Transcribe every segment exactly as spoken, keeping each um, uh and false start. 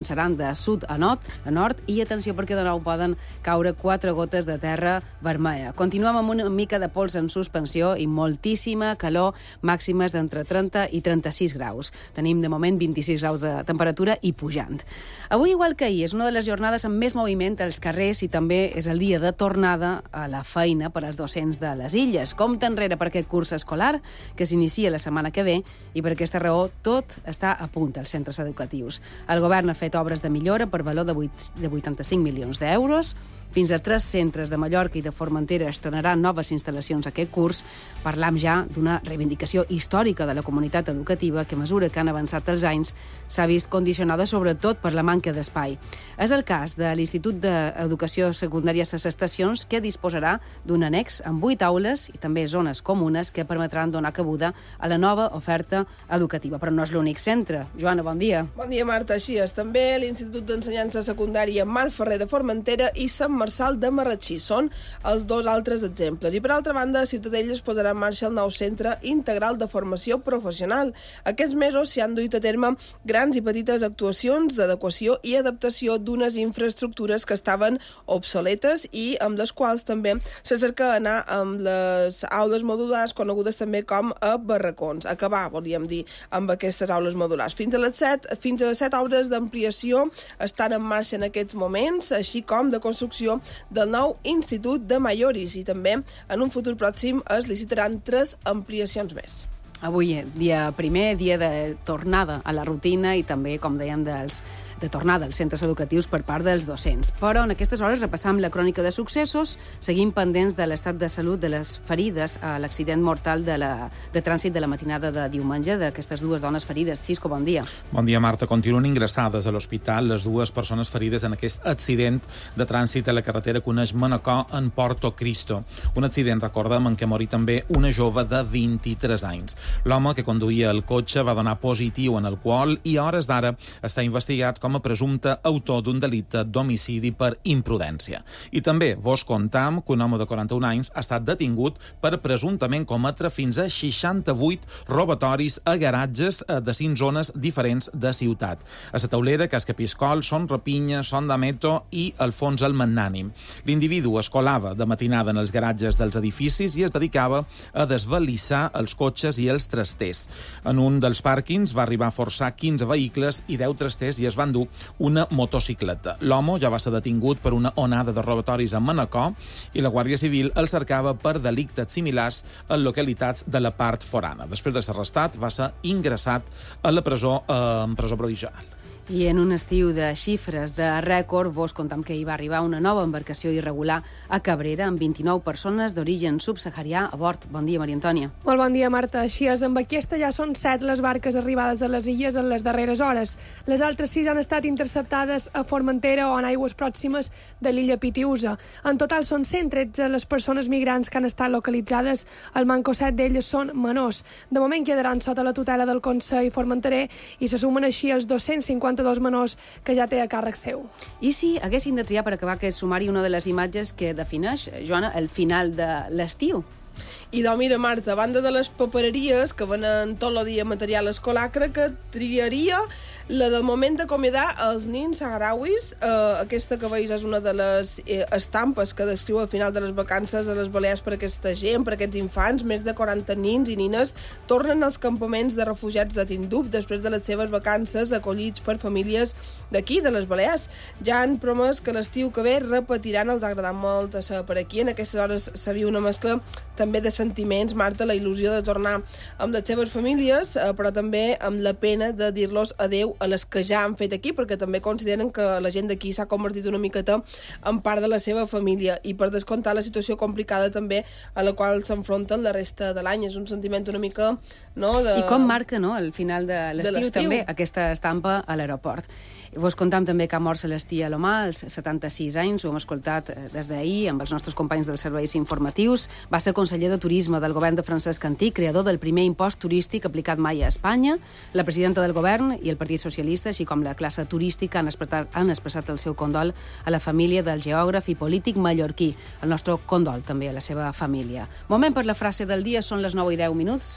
seran de sud a nord, a nord i atenció perquè de nou poden caure quatre gotes de terra vermella. Continuem amb una mica de pols en suspensió i moltíssima calor, màximes d'entre trenta i trenta-sis graus. Tenim de moment vint-i-sis graus de temperatura i pujant. Avui, igual que ahir, és una de les jornades amb més moviment als carrers i també és el dia de tornada a la feina per als docents de les illes. Compte enrere per aquest curs escolar que s'inicia la setmana que ve i per aquesta raó tot està a punt als centres educatius. El govern ha fet obres de millora per valor de vuitanta-cinc milions d'euros. Fins a tres centres de Mallorca i de Formentera estrenaran noves instal·lacions aquest curs. Parlam ja d'una reivindicació històrica de la comunitat educativa que, a mesura que han avançat els anys, s'ha vist condicionada sobretot per la manca d'espai. És el cas de l'Institut d'Educació Secundària Ses Estacions, que disposarà d'un annex amb vuit aules i també zones comunes que permetran donar cabuda a la nova oferta educativa. Però no és l'únic centre. Joana, bon dia. Bon dia, Marta. Així és. També l'Institut d'Ensenyança Secundària Marc Ferrer de Formentera i Sant Marçal de Marratxí són els dos altres exemples. I per altra banda, a Ciutadella es posarà en marxa el nou Centre Integral de Formació Professional. Aquests mesos s'hi han duit a terme grans i petites actuacions d'adequació i adaptació d'unes infraestructures que estaven obsoletes i amb les quals també se cerca anar amb les aules modulars conegudes també com a barracons. Acabar, volíem dir, amb aquestes aules modulars. Fins a les set, fins a set obres d'ampliació estan en marxa en aquests moments, així com de construcció del nou Institut de Maioris i també en un futur pròxim es licitaran tres ampliacions més. Avui, dia primer, dia de tornada a la rutina i també, com dèiem, dels de tornada als centres educatius per part dels docents. Però en aquestes hores repassam la crònica de successos, seguim pendents de l'estat de salut de les ferides a l'accident mortal de, la, de trànsit de la matinada de diumenge d'aquestes dues dones ferides. Xisco, bon dia. Bon dia, Marta. Continuen ingressades a l'hospital les dues persones ferides en aquest accident de trànsit a la carretera que uneix Manacor en Porto Cristo. Un accident, recordem, en què morí també una jove de vint-i-tres anys. L'home que conduïa el cotxe va donar positiu en alcohol i a hores d'ara està investigat com com a presumpte autor d'un delicte d'homicidi per imprudència. I també vos contam que un home de quaranta-un anys ha estat detingut per presumptament cometre fins a seixanta-vuit robatoris a garatges de cinc zones diferents de ciutat. A la taulera, Cas Capiscol, Son Rapinya, Son d'Ameto i Alfons el Magnànim. L'individu es colava de matinada en els garatges dels edificis i es dedicava a desvalissar els cotxes i els trasters. En un dels pàrquings va arribar a forçar quinze vehicles i deu trasters i es van una motocicleta. L'home ja va ser detingut per una onada de robatoris a Manacor i la Guàrdia Civil el cercava per delictes similars en localitats de la part forana. Després de ser arrestat, va ser ingressat a la presó, eh, en presó provisional. I en un estiu de xifres de rècord, vos contam que hi va arribar una nova embarcació irregular a Cabrera amb vint-i-nou persones d'origen subsaharià a bord. Bon dia, Maria Antònia. Molt bon dia, Marta. Així és, amb aquesta ja són set les barques arribades a les illes en les darreres hores. Les altres sis han estat interceptades a Formentera o en aigües pròximes de l'illa Pitiusa. En total són cent tretze les persones migrants que han estat localitzades. El manco set d'elles són menors. De moment quedaran sota la tutela del Consell Formenterer i se sumen així els dos-cents cinquanta-dos menors que ja té a càrrec seu. I si haguessin de triar per acabar aquest sumari una de les imatges que defineix, Joana, el final de l'estiu? I doncs mira, Marta, a banda de les papereries que venen tot el dia material escolar, crec que triaria la del moment d'acomiadar els nins saharauis. Eh, aquesta que veus és una de les eh, estampes que descriu al final de les vacances a les Balears per aquesta gent, per aquests infants. Més de quaranta nins i nines tornen als campaments de refugiats de Tinduf després de les seves vacances acollits per famílies d'aquí, de les Balears. Ja han promès que l'estiu que ve repetiran, els ha agradat molt a ser per aquí. En aquestes hores s'ha vist una mescla també de sentiments, Marta, la il·lusió de tornar amb les seves famílies, eh, però també amb la pena de dir-los adeu a les que ja han fet aquí, perquè també consideren que la gent d'aquí s'ha convertit una miqueta en part de la seva família i per descomptar la situació complicada també a la qual s'enfronten la resta de l'any. És un sentiment una mica... No, de... I com marca, no?, el final de l'estiu també aquesta estampa a l'aeroport. Vos contam també que ha mort Celestí Alomà, als setanta-sis anys, ho hem escoltat des d'ahir amb els nostres companys dels serveis informatius. Va ser conseller de Turisme del govern de Francesc Cantí, creador del primer impost turístic aplicat mai a Espanya. La presidenta del govern i el Partit Socialista, així com la classe turística, han expressat, han expressat el seu condol a la família del geògraf i polític mallorquí. El nostre condol també a la seva família. Moment per la frase del dia, són les nou i deu minuts.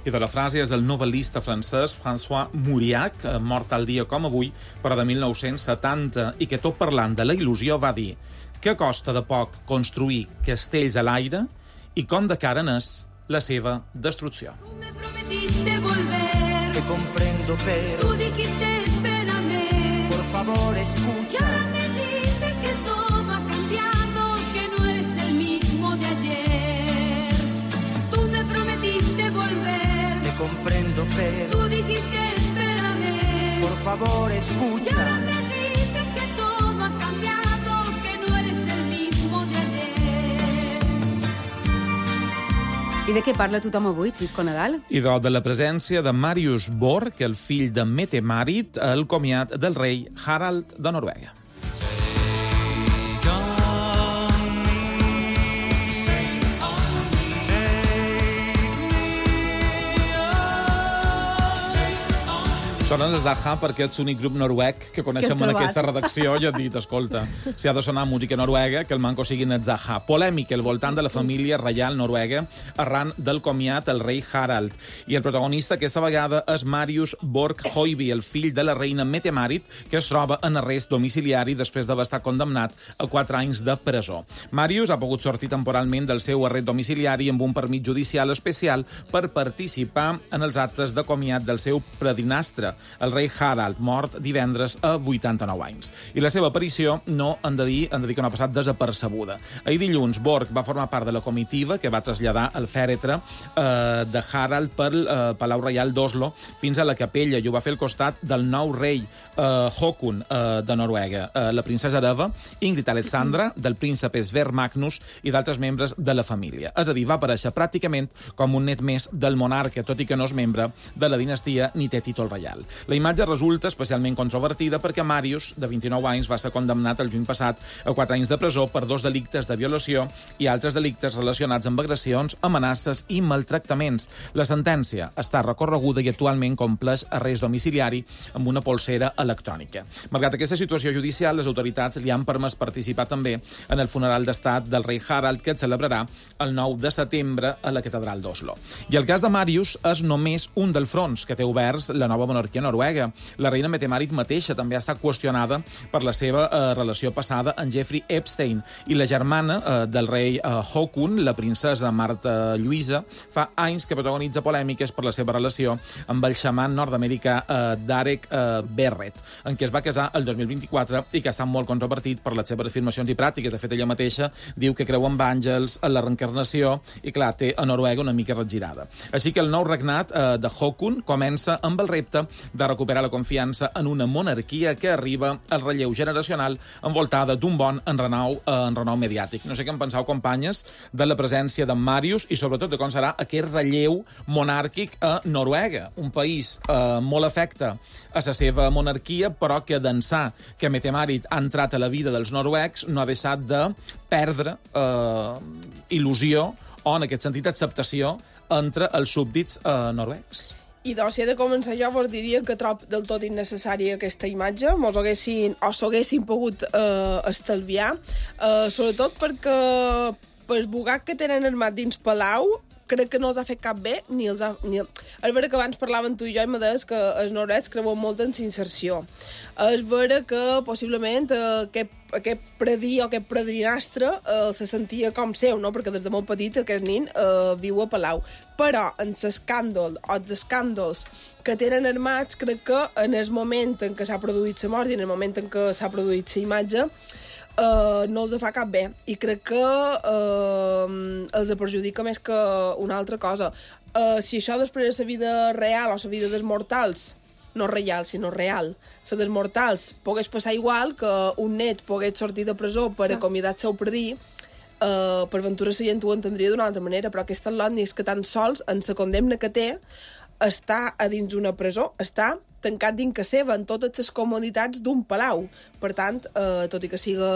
I de la frase és del novel·lista francès François Mauriac, mort tal dia com avui per però de mil nou-cents setanta, i que tot parlant de la il·lusió va dir que costa de poc construir castells a l'aire i com de cara n'és la seva destrucció. Tú me prometiste volver. Te comprendo, pero tú dijiste espérame. Por favor, escucha. Y ahora me dices que todo ha cambiado, que no eres el mismo de ayer. Tú me prometiste volver. Te comprendo, pero tú dijiste espérame. Por favor, escucha. Y ahora me dices que todo ha cambiado, que no eres el mismo de ayer. I de què parla tothom avui, Xisco Nadal? I de la presència de Marius Borg, el fill de Mette-Marit, al comiat del rei Harald de Noruega. Sonen els Zaha perquè és l'únic grup noruec que coneixem en aquesta redacció i he dit, escolta, si ha de sonar música noruega, que el manco siguin els Zaha. Polèmica al voltant de la família reial noruega arran del comiat el rei Harald. I el protagonista aquesta vegada és Marius Borg Høiby, el fill de la reina Mette-Marit, que es troba en arrest domiciliari després d'haver estat condemnat a quatre anys de presó. Marius ha pogut sortir temporalment del seu arrest domiciliari amb un permís judicial especial per participar en els actes de comiat del seu predinastre, el rei Harald, mort divendres a vuitanta-nou anys. I la seva aparició no han de dir, han de dir que no ha passat desapercebuda. Ahir dilluns, Borg va formar part de la comitiva que va traslladar el fèretre eh, de Harald pel eh, Palau Reial d'Oslo fins a la capella, i ho va fer al costat del nou rei eh, Håkon eh, de Noruega, eh, la princesa Eva, Ingrid Alexandra, del príncep Sverre Magnus i d'altres membres de la família. És a dir, va aparèixer pràcticament com un net més del monarca, tot i que no és membre de la dinastia ni té títol reial. La imatge resulta especialment controvertida perquè Marius, de vint-i-nou anys, va ser condemnat el juny passat a quatre anys de presó per dos delictes de violació i altres delictes relacionats amb agressions, amenaces i maltractaments. La sentència està recorreguda i actualment compleix arrest domiciliari amb una polsera electrònica. Malgrat aquesta situació judicial, les autoritats li han permès participar també en el funeral d'estat del rei Harald, que es celebrarà el nou de setembre a la catedral d'Oslo. I el cas de Marius és només un dels fronts que té oberts la nova monarquia noruega. La reina Mette-Marit mateixa també ha estat qüestionada per la seva eh, relació passada amb Jeffrey Epstein, i la germana eh, del rei eh, Håkon, la princesa Marta Lluïsa, fa anys que protagonitza polèmiques per la seva relació amb el xaman nord-americà eh, Derek eh, Barrett, en què es va casar el dos mil vint-i-quatre i que està molt controvertit per les seves afirmacions i pràctiques. De fet, ella mateixa diu que creu en àngels, en la reencarnació, i clar, té a Noruega una mica regirada. Així que el nou regnat eh, de Håkon comença amb el repte de recuperar la confiança en una monarquia que arriba al relleu generacional envoltada d'un bon enrenou, eh, enrenou mediàtic. No sé què en penseu, companyes, de la presència de Marius i sobretot de com serà aquest relleu monàrquic a Noruega, un país eh, molt afecte a la seva monarquia, però que d'ençà que Mette-Marit ha entrat a la vida dels noruecs no ha deixat de perdre eh, il·lusió o, en aquest sentit, acceptació entre els súbdits eh, noruecs. I doncs, si he de començar jo, vos diria que trob del tot innecessària aquesta imatge, mos haguessin, o s'haguessin pogut eh, estalviar, eh, sobretot perquè pel bugat que tenen armat dins Palau, crec que no els ha fet cap bé, ni els ha... Ni el... És vera que abans parlaven tu i jo i me deies que els noruecs creuen molt en s'inserció. És vera que possiblement eh, aquest, aquest predí o aquest predrinastre eh, se sentia com seu, no? Perquè des de molt petit aquest nin eh, viu a Palau. Però en l'escàndol o els escàndols que tenen armats, crec que en el moment en què s'ha produït la mort i en el moment en què s'ha produït la imatge, Uh, no els fa cap bé, i crec que uh, els perjudica més que una altra cosa. Uh, si això després de la vida real o la vida dels mortals, no real, sinó real, la dels mortals pogués passar igual, que un net pogués sortir de presó per acomiadar el seu predí, uh, per ventura la gent ho entendria d'una altra manera, però aquesta lònia és que tan sols en la condemna que té està a dins d'una presó, està tancat dins que seva, en totes les comoditats d'un palau. Per tant, eh, tot i que siga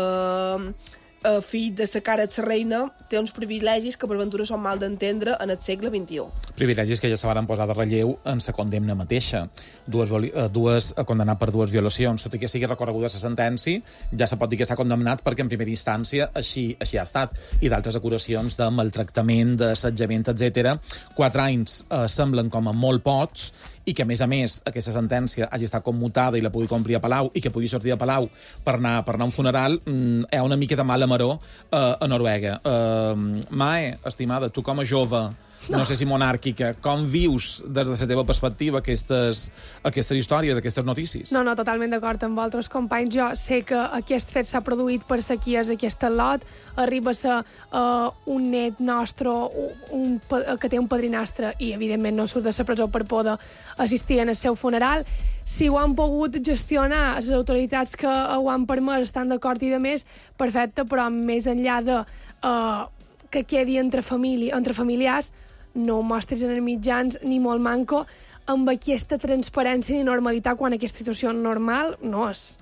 eh, fill de la cara de la reina, té uns privilegis que per ventura són mal d'entendre en el segle vint-i-u. Privilegis que ja se van posar de relleu en la condemna mateixa. Dues, dues condemnat per dues violacions. Tot i que sigui recorreguda la sentència, ja se pot dir que està condemnat perquè en primera instància així, així ha estat. I d'altres acusacions de maltractament, d'assetjament, etcètera. Quatre anys eh, semblen com a molt pocs, i que, a més a més, aquesta sentència hagi estat commutada i la pugui complir a Palau i que pugui sortir a Palau per anar, per anar a un funeral, mm, hi ha una mica de mala maror uh, a Noruega. Uh, Mae, estimada, tu com a jove, no. no sé si monàrquica, com vius des de la teva perspectiva aquestes, aquestes històries, aquestes notícies? No, no, totalment d'acord amb altres companys. Jo sé que aquest fet s'ha produït per sa qui és aquest lot, arriba a ser uh, un net nostre un, un, que té un padrinastre i, evidentment, no surt de la presó per poder assistir al seu funeral. Si ho han pogut gestionar les autoritats que ho han permès, estan d'acord i de més, perfecte, però més enllà de uh, que quedi entre, família, entre familiars, no ho mostris en els mitjans ni molt manco amb aquesta transparència i normalitat quan aquesta situació normal no és.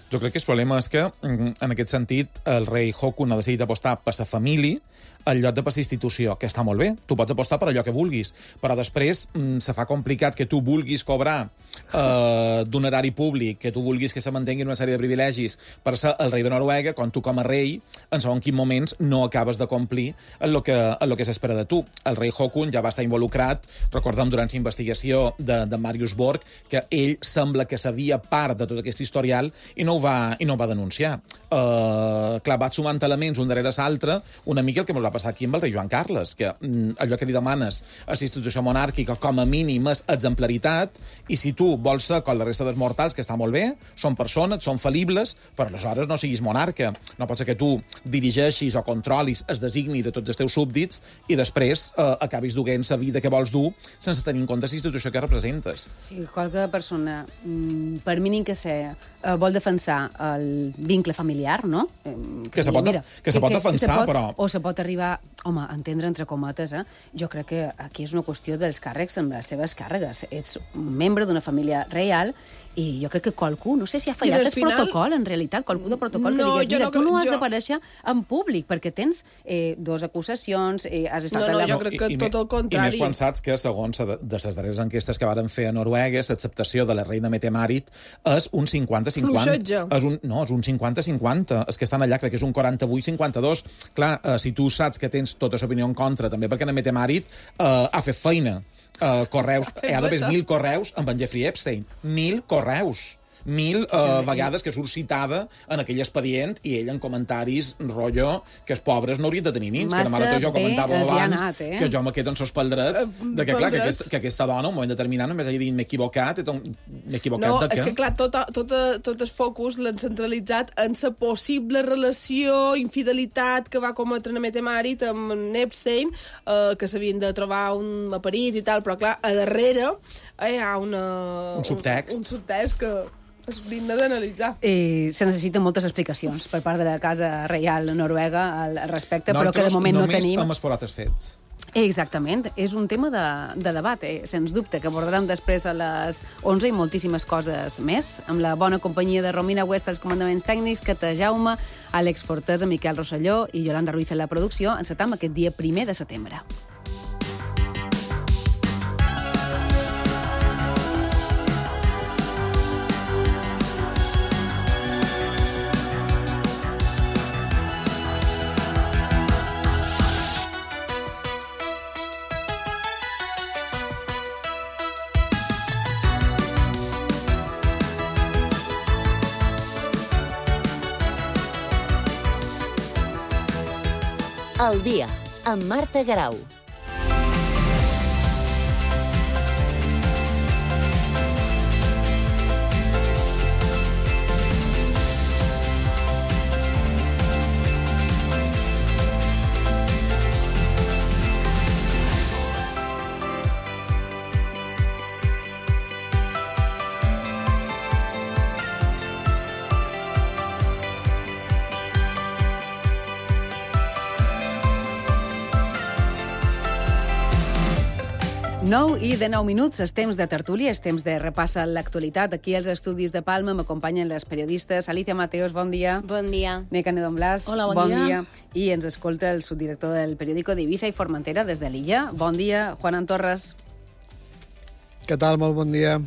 Jo crec que el problema és que, en aquest sentit, el rei Haakon ha decidit apostar per la família al lloc de per la institució, que està molt bé. Tu pots apostar per allò que vulguis, però després mm, se fa complicat que tu vulguis cobrar eh, d'un erari públic, que tu vulguis que se mantinguin una sèrie de privilegis per ser el rei de Noruega, quan tu com a rei, en segons quins moments, no acabes de complir en el que, en lo que s'espera de tu. El rei Haakon ja va estar involucrat, recordem, durant la investigació de, de Marius Borg, que ell sembla que sabia part de tot aquest historial i no ho va, i no ho va denunciar. Uh, clar, va sumant elements un darrere l'altre, una mica el que ens va passar aquí amb el rei Joan Carles, que mm, allò que li demanes a la institució monàrquica com a mínim és exemplaritat, i si tu vols ser com la resta dels mortals, que està molt bé, són persones, són fal·libles, però aleshores no siguis monarca. No pot ser que tu dirigeixis o controlis el designi de tots els teus súbdits i després eh, acabis duent la vida que vols dur sense tenir en compte la institució que representes. Sí, qualque persona, mm, per mínim que sé, eh, vol defensar el vincle familiar, no? Eh, que, que se pot, mira, que se pot que, defensar, que se pot, però... O se pot arribar, home, a entendre entre cometes, eh? Jo crec que aquí és una qüestió dels càrrecs amb les seves càrregues. Ets un membre d'una família reial i jo crec que qualcú, no sé si ha fallat el final... protocol, en realitat, qualcú de protocol no, que digués, mira, no, tu no has jo... d'aparèixer en públic, perquè tens eh, dos acusacions, eh, has estat... No, no, la... jo crec que I, i, tot el contrari. I més quan saps que, segons de les darreres enquestes que varen fer a Noruega, l'acceptació de la reina Mette-Marit és un cinquanta cinquanta. Fluixetge. És un, no, és un cinquanta cinquanta. És que estan allà, crec que és un quaranta-vuit cinquanta-dos. Clar, eh, si tu saps que tens tota l'opinió en contra, també perquè la Mette-Marit eh, ha fet feina. Uh, correus, hi ha d'haver mil correus amb en Jeffrey Epstein. Mil correus. Mil uh, sí, vegades que surt citada en aquell expedient i ell en comentaris, rotllo, que els pobres no haurien de tenir nins. Massa que demà jo comentava abans anat, eh? que jo me quedo en sos paldrets uh, de que, clar, que, aquest, que aquesta dona, en un moment determinat, només hagi dit m'he equivocat, m'he equivocat no, de què? No, és que, clar, tot, tot, tot el focus l'han centralitzat en la possible relació, infidelitat que va cometre la Mette-Marit amb Epstein, eh, que s'havien de trobar un, a París i tal, però, clar, a darrere eh, hi ha una, un subtext. Un, un subtext que és digne d'analitzar. Eh, se necessiten moltes explicacions per part de la Casa Reial Noruega al respecte, no, però que de moment no tenim... Només amb els polates fets. Exactament, és un tema de, de debat, eh? Sens dubte, que abordarem després a les onze i moltíssimes coses més, amb la bona companyia de Romina West als comandaments tècnics, Cata Jaume, Àlex Fortesa, Miquel Rosselló i Yolanda Ruiz en la producció. Encetam aquest dia primer de setembre. El dia, amb Marta Garau. nou i de nou minuts, és temps de tertúlia, és temps de repassa l'actualitat. Aquí als estudis de Palma m'acompanyen les periodistes Alicia Mateos, bon dia. Bon dia. Neca Nedon Blas, Hola, bon, bon dia. dia. I ens escolta el subdirector del periòdico d'Ibiza i Formentera des de l'illa. Bon dia, Juan Torres. Què tal? Molt bon dia.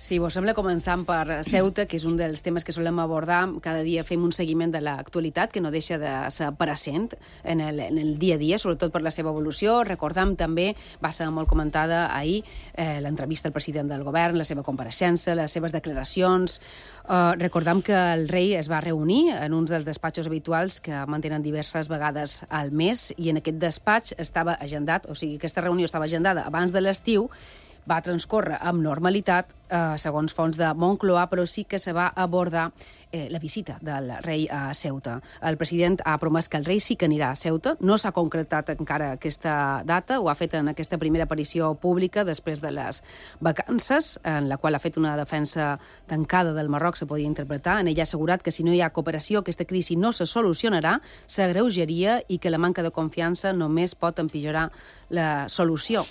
Si vos sembla, començant per Ceuta, que és un dels temes que solem abordar. Cada dia fem un seguiment de l'actualitat, que no deixa de ser present en el, en el dia a dia, sobretot per la seva evolució. Recordam també, va ser molt comentada ahir, eh, l'entrevista al president del govern, la seva compareixença, les seves declaracions. Eh, recordam que el rei es va reunir en uns dels despatxos habituals que mantenen diverses vegades al mes, i en aquest despatx estava agendat, o sigui, aquesta reunió estava agendada abans de l'estiu, va transcórrer amb normalitat, eh, segons fonts de Moncloa, però sí que se va abordar eh, la visita del rei a Ceuta. El president ha promès que el rei sí que anirà a Ceuta. No s'ha concretat encara aquesta data, ho ha fet en aquesta primera aparició pública després de les vacances, en la qual ha fet una defensa tancada del Marroc, se podia interpretar. En ella ha assegurat que si no hi ha cooperació, aquesta crisi no se solucionarà, s'agreujaria i que la manca de confiança només pot empitjorar la solució.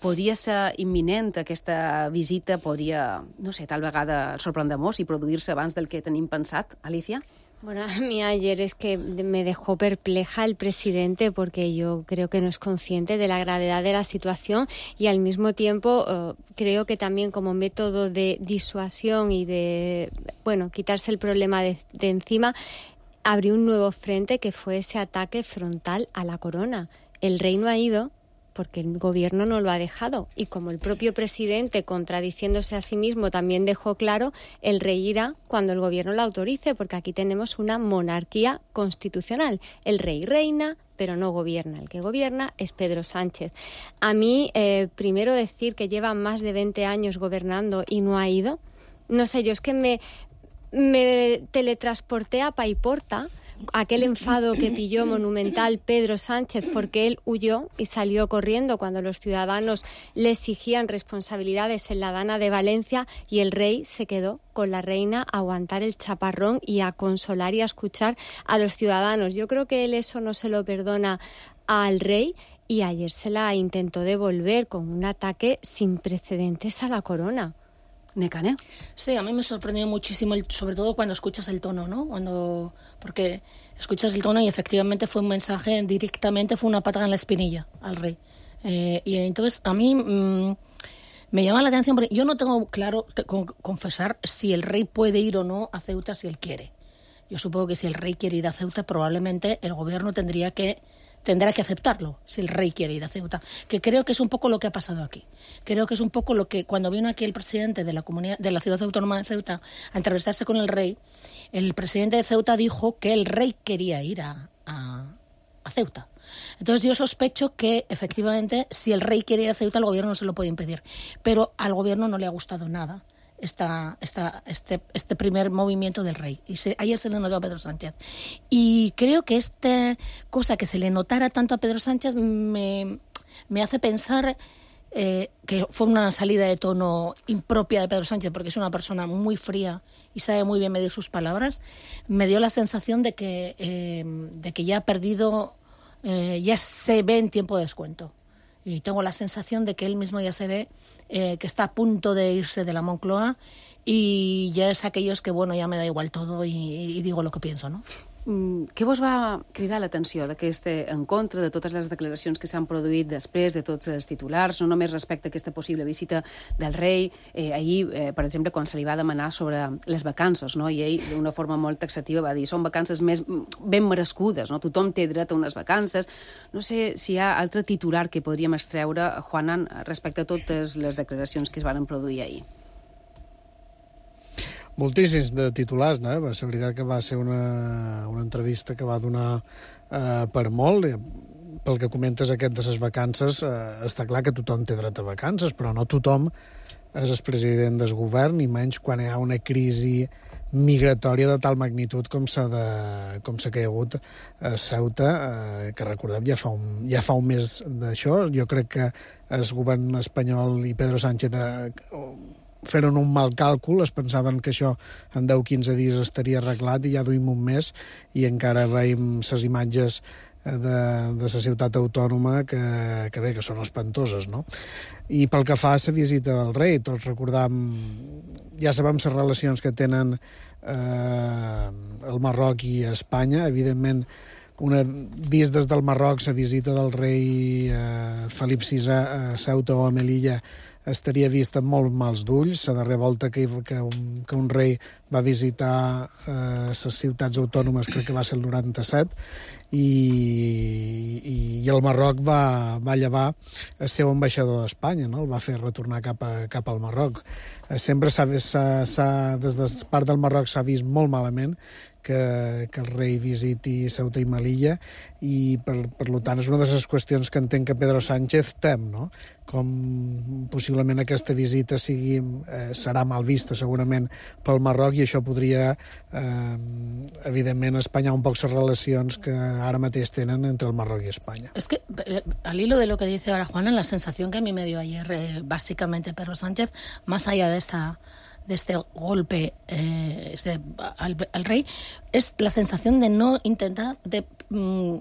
Podria ser imminent aquesta visita, podria, no sé, tal vegada sorprendre-nos i produir-se abans del que tenim pensat, Alicia? Bueno, a mí ayer es que me dejó perpleja el presidente porque yo creo que no es consciente de la gravedad de la situación y al mismo tiempo uh, creo que también como método de disuasión y de, bueno, quitarse el problema de, de encima, abrió un nuevo frente que fue ese ataque frontal a la corona. El rey no ha ido porque el gobierno no lo ha dejado. Y como el propio presidente, contradiciéndose a sí mismo, también dejó claro, el rey irá cuando el gobierno lo autorice, porque aquí tenemos una monarquía constitucional. El rey reina, pero no gobierna. El que gobierna es Pedro Sánchez. A mí, eh, primero decir que lleva más de veinte años gobernando y no ha ido, no sé, yo es que me, me teletransporté a Paiporta, aquel enfado que pilló monumental Pedro Sánchez porque él huyó y salió corriendo cuando los ciudadanos le exigían responsabilidades en la Dana de Valencia, y el rey se quedó con la reina a aguantar el chaparrón y a consolar y a escuchar a los ciudadanos. Yo creo que él eso no se lo perdona al rey, y ayer se la intentó devolver con un ataque sin precedentes a la corona. Necane. Sí, a mí me sorprendió muchísimo, el, sobre todo cuando escuchas el tono, ¿no? Cuando, porque escuchas el tono y efectivamente fue un mensaje directamente, fue una patada en la espinilla al rey. Eh, y entonces a mí mmm, me llama la atención, porque yo no tengo claro, te, con, confesar, si el rey puede ir o no a Ceuta si él quiere. Yo supongo que si el rey quiere ir a Ceuta, probablemente el gobierno tendría que tendrá que aceptarlo, si el rey quiere ir a Ceuta, que creo que es un poco lo que ha pasado aquí. Creo que es un poco lo que, cuando vino aquí el presidente de la comunidad, de la ciudad autónoma de Ceuta a entrevistarse con el rey, el presidente de Ceuta dijo que el rey quería ir a, a, a Ceuta. Entonces yo sospecho que, efectivamente, si el rey quiere ir a Ceuta, el gobierno no se lo puede impedir. Pero al gobierno no le ha gustado nada Esta, esta, este, este primer movimiento del rey. Y se, ayer se le notó a Pedro Sánchez. Y creo que esta cosa que se le notara tanto a Pedro Sánchez me, me hace pensar eh, que fue una salida de tono impropia de Pedro Sánchez, porque es una persona muy fría y sabe muy bien medir sus palabras. Me dio la sensación de que, eh, de que ya ha perdido, eh, ya se ve en tiempo de descuento. Y tengo la sensación de que él mismo ya se ve eh, que está a punto de irse de la Moncloa, y ya es aquellos que, bueno, ya me da igual todo y, y digo lo que pienso, ¿no? Mm, què vos va cridar l'atenció d'aquest encontre, de totes les declaracions que s'han produït després, de tots els titulars, no només respecte a aquesta possible visita del rei? Eh, ahir, eh, per exemple, quan se li va demanar sobre les vacances, no? I ell, d'una forma molt taxativa, va dir són vacances més ben merescudes, no? Tothom té dret a unes vacances. No sé si hi ha altre titular que podríem extreure, Juanan, respecte a totes les declaracions que es van produir ahir. Moltíssims de titulars, no? Va ser veritat que va ser una, una entrevista que va donar eh, per molt. Pel que comentes aquest de les vacances, eh, està clar que tothom té dret a vacances, però no tothom és el president del govern, i menys quan hi ha una crisi migratòria de tal magnitud com s'ha de, com s'ha caigut a Ceuta, eh, que recordem ja fa un, ja fa un mes d'això. Jo crec que el govern espanyol i Pedro Sánchez eh, feren un mal càlcul, es pensaven que això en deu a quinze dies estaria arreglat, i ja duim un mes i encara veiem les imatges de, de la ciutat autònoma que, que bé, que són espantoses, no? I pel que fa a la visita del rei, tots recordam, ja sabem les relacions que tenen eh, el Marroc i Espanya. Evidentment, una, vist des del Marroc, la visita del rei eh, Felip sisè a Ceuta o a Melilla estaria vist amb molt mals d'ulls. La darrera volta que, que, un, que un rei va visitar eh, les ciutats autònomes, crec que va ser el noranta-set, i, i, i el Marroc va, va llevar el seu ambaixador d'Espanya, no? El va fer retornar cap, a, cap al Marroc. Eh, sempre s'ha, s'ha, des de part del Marroc s'ha vist molt malament que, que el rei visiti Ceuta i Melilla, i per, per tant és una de les qüestions que entenc que Pedro Sánchez tem, no? Com possiblement aquesta visita sigui, eh, serà mal vista segurament pel Marroc, i això podria eh, evidentment espanyar un poc les relacions que ara mateix tenen entre el Marroc y España. Es que, al hilo de lo que dice ahora Juana, la sensación que a mí me dio ayer eh, básicamente Pedro Sánchez, más allá de esta de este golpe eh, este, al, al rey, es la sensación de no intentar de mm,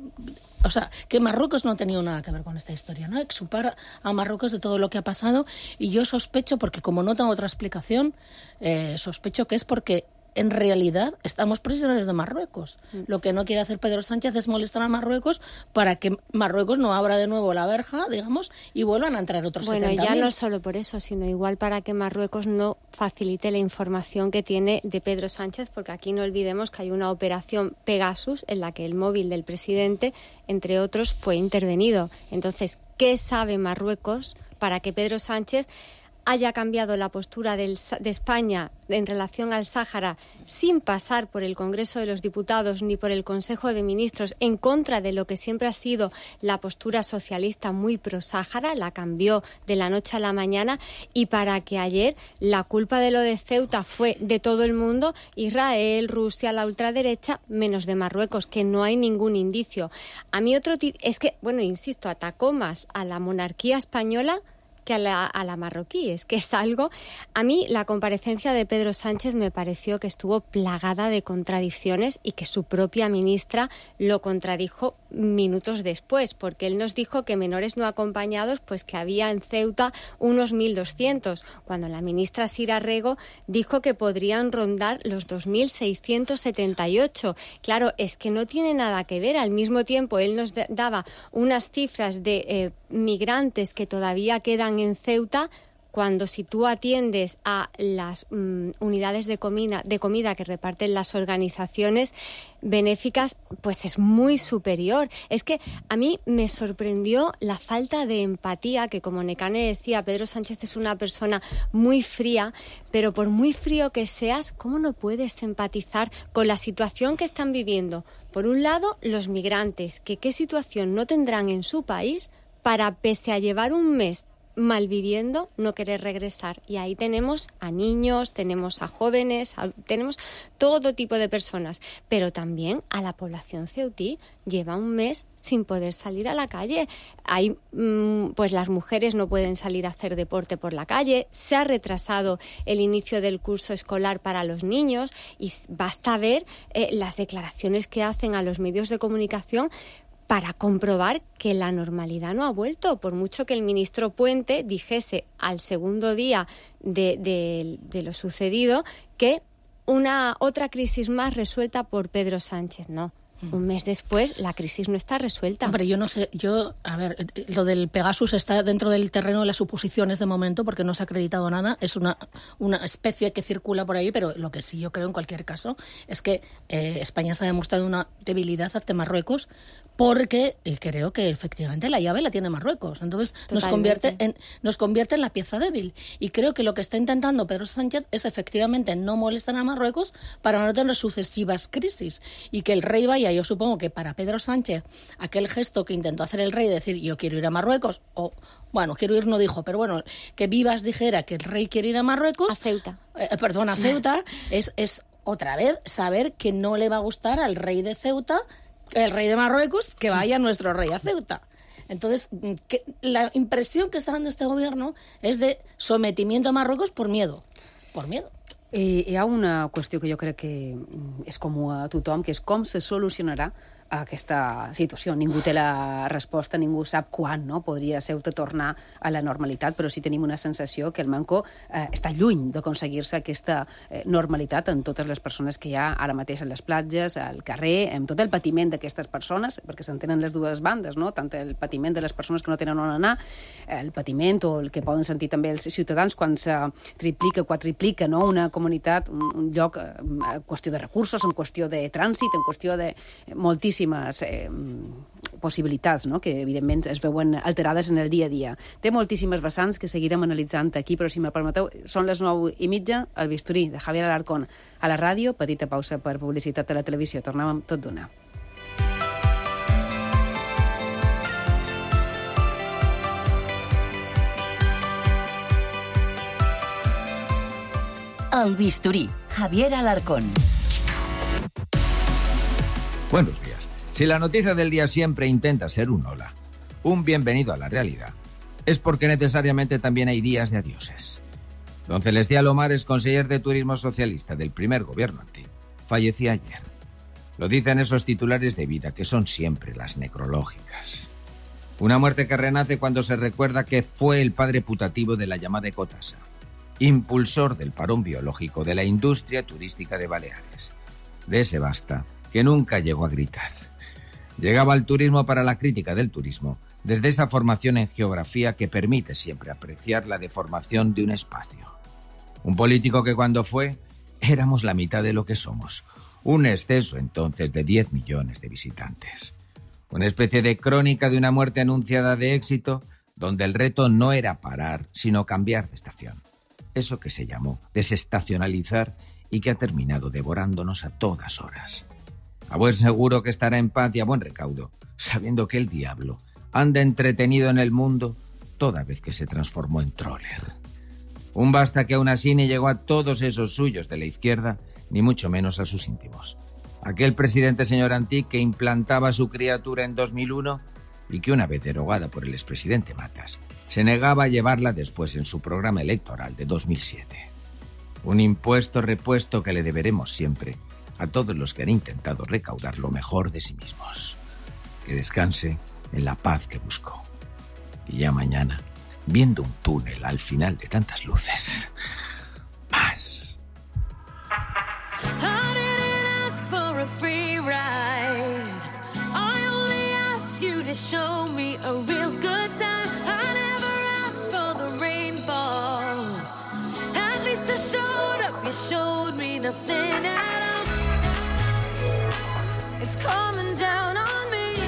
o sea, que Marruecos no ha tenido nada que ver con esta historia, ¿no? Exculpar a Marruecos de todo lo que ha pasado, y yo sospecho, porque como no tengo otra explicación, eh, sospecho que es porque en realidad estamos prisioneros de Marruecos. Mm. Lo que no quiere hacer Pedro Sánchez es molestar a Marruecos para que Marruecos no abra de nuevo la verja, digamos, y vuelvan a entrar otros Bueno, setenta ya mil. no solo por eso, sino igual para que Marruecos no facilite la información que tiene de Pedro Sánchez, porque aquí no olvidemos que hay una operación Pegasus en la que el móvil del presidente, entre otros, fue intervenido. Entonces, ¿qué sabe Marruecos para que Pedro Sánchez haya cambiado la postura del, de España en relación al Sáhara sin pasar por el Congreso de los Diputados ni por el Consejo de Ministros, en contra de lo que siempre ha sido la postura socialista muy pro-Sáhara? La cambió de la noche a la mañana, y para que ayer la culpa de lo de Ceuta fue de todo el mundo, Israel, Rusia, la ultraderecha, menos de Marruecos, que no hay ningún indicio. A mí otro t- es que, bueno, insisto, atacó más a la monarquía española que a la, a la marroquí. Es que es algo... A mí la comparecencia de Pedro Sánchez me pareció que estuvo plagada de contradicciones, y que su propia ministra lo contradijo minutos después, porque él nos dijo que menores no acompañados, pues que había en Ceuta unos mil doscientos, cuando la ministra Sira Rego dijo que podrían rondar los dos mil seiscientos setenta y ocho. Claro, es que no tiene nada que ver. Al mismo tiempo, él nos daba unas cifras de eh, migrantes que todavía quedan en Ceuta, cuando si tú atiendes a las mm, unidades de comida, de comida que reparten las organizaciones benéficas, pues es muy superior. Es que a mí me sorprendió la falta de empatía, que como Nekane decía, Pedro Sánchez es una persona muy fría, pero por muy frío que seas, ¿cómo no puedes empatizar con la situación que están viviendo? Por un lado, los migrantes, que qué situación no tendrán en su país para, pese a llevar un mes malviviendo, no querer regresar. Y ahí tenemos a niños, tenemos a jóvenes, a, tenemos todo tipo de personas, pero también a la población ceutí. Lleva un mes sin poder salir a la calle. Hay, mmm, pues las mujeres no pueden salir a hacer deporte por la calle. Se ha retrasado el inicio del curso escolar para los niños, y basta ver eh, las declaraciones que hacen a los medios de comunicación para comprobar que la normalidad no ha vuelto, por mucho que el ministro Puente dijese al segundo día de, de, de lo sucedido que una otra crisis más resuelta por Pedro Sánchez. No. Un mes después, la crisis no está resuelta. Hombre, yo no sé, yo, a ver, lo del Pegasus está dentro del terreno de las suposiciones de momento, porque no se ha acreditado nada, es una, una especie que circula por ahí, pero lo que sí yo creo en cualquier caso es que eh, España se ha demostrado una debilidad ante Marruecos, porque eh, creo que efectivamente la llave la tiene Marruecos, entonces nos convierte, en, nos convierte en la pieza débil, y creo que lo que está intentando Pedro Sánchez es efectivamente no molestar a Marruecos para no tener sucesivas crisis, y que el rey vaya. Yo supongo que para Pedro Sánchez aquel gesto que intentó hacer el rey de decir yo quiero ir a Marruecos, o bueno, quiero ir no dijo, pero bueno, que Vivas dijera que el rey quiere ir a Marruecos, a Ceuta, eh, perdón, a Ceuta, es, es otra vez saber que no le va a gustar al rey de Ceuta, el rey de Marruecos, que vaya nuestro rey a Ceuta. Entonces, que la impresión que está dando este gobierno es de sometimiento a Marruecos por miedo, por miedo. I hi ha una qüestió que jo crec que és comú a tothom, que és com se solucionarà a aquesta situació. Ningú té la resposta, ningú sap quan, no? Podria ser de tornar a la normalitat, però sí tenim una sensació que el manco eh, està lluny d'aconseguir-se aquesta eh, normalitat en totes les persones que hi ha ara mateix a les platges, al carrer, amb tot el patiment d'aquestes persones, perquè s'entenen les dues bandes, no? Tant el patiment de les persones que no tenen on anar, el patiment o el que poden sentir també els ciutadans quan se triplica, quadriplica, no? Una comunitat, un, un lloc eh, en qüestió de recursos, en qüestió de trànsit, en qüestió de moltíssimes Eh, possibilitats, no? Que evidentment es veuen alterades en el dia a dia. Té moltíssimes vessants que seguirem analitzant aquí, però si me permeteu, són les nou i mitja, el bisturí de Javier Alarcón a la ràdio, petita pausa per publicitat a la televisió. Tornem amb tot d'una. El bisturí, Javier Alarcón. Buenos días. Si la noticia del día siempre intenta ser un hola, un bienvenido a la realidad, es porque necesariamente también hay días de adioses. Don Celestial Omar es conseller de Turismo Socialista del primer gobierno antiguo. Fallecía ayer. Lo dicen esos titulares de vida, que son siempre las necrológicas. Una muerte que renace cuando se recuerda que fue el padre putativo de la llamada ecotasa, impulsor del parón biológico de la industria turística de Baleares. De ese basta que nunca llegó a gritar. Llegaba al turismo para la crítica del turismo, desde esa formación en geografía que permite siempre apreciar la deformación de un espacio. Un político que cuando fue, éramos la mitad de lo que somos. Un exceso entonces de diez millones de visitantes. Una especie de crónica de una muerte anunciada de éxito, donde el reto no era parar, sino cambiar de estación. Eso que se llamó desestacionalizar y que ha terminado devorándonos a todas horas. A buen seguro que estará en paz y a buen recaudo, sabiendo que el diablo anda entretenido en el mundo toda vez que se transformó en troller. Un basta que aún así ni llegó a todos esos suyos de la izquierda, ni mucho menos a sus íntimos. Aquel presidente señor Antich que implantaba a su criatura en dos mil uno y que una vez derogada por el expresidente Matas, se negaba a llevarla después en su programa electoral de dos mil siete. Un impuesto repuesto que le deberemos siempre a todos los que han intentado recaudar lo mejor de sí mismos. Que descanse en la paz que buscó. Y ya mañana, viendo un túnel al final de tantas luces, más. I didn't ask for a free ride. I only asked you to show me a real good time. I never asked for the rainfall. At least I showed up, you showed me nothing at all. It's coming down on me.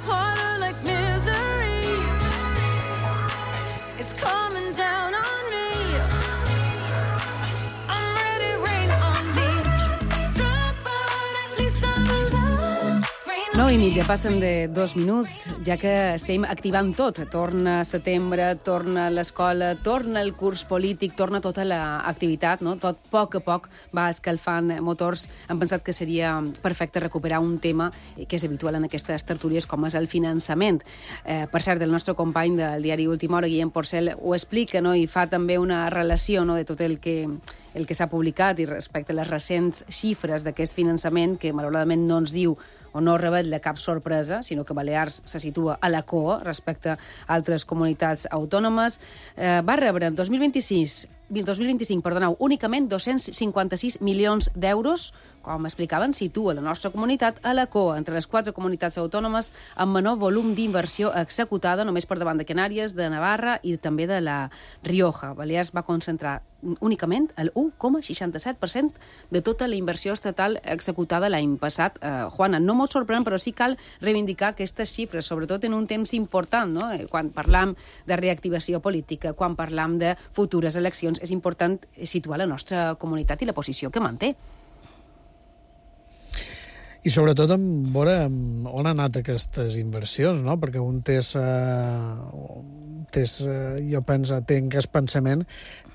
Water like misery. It's coming down on me. I'm ready, rain on me. Drop, but at least I'm alive. nou i mitja, passen de dos minuts, ja que estem activant tot. Torna setembre, torna l'escola, torna el curs polític, torna tota l'activitat, no? Tot a poc a poc va escalfant motors. Hem pensat que seria perfecte recuperar un tema que és habitual en aquestes tertúlies, com és el finançament. Eh, per cert, el nostre company del diari Última Hora, Guillem Porcel, ho explica, no? I fa també una relació, no?, de tot el que el que s'ha publicat i respecte a les recents xifres d'aquest finançament, que malauradament no ens diu o no revela cap sorpresa, sinó que Balears se situa a la cua respecte a altres comunitats autònomes. Eh, va rebre en dos mil vint-i-sis, dos mil vint-i-cinc, perdoneu, únicament dos-cents cinquanta-sis milions d'euros, com explicaven, situa la nostra comunitat a la cua entre les quatre comunitats autònomes amb menor volum d'inversió executada, només per davant de Canàries, de Navarra i també de la Rioja. Balears va concentrar únicament el u coma seixanta-set per cent de tota la inversió estatal executada l'any passat. Eh, Juana, no molt sorprenent, però sí cal reivindicar aquestes xifres, sobretot en un temps important, no? Quan parlam de reactivació política, quan parlam de futures eleccions, és important situar la nostra comunitat i la posició que manté. I sobretot en veure on han anat aquestes inversions, no? Perquè un té, uh, té uh, jo penso, té aquest pensament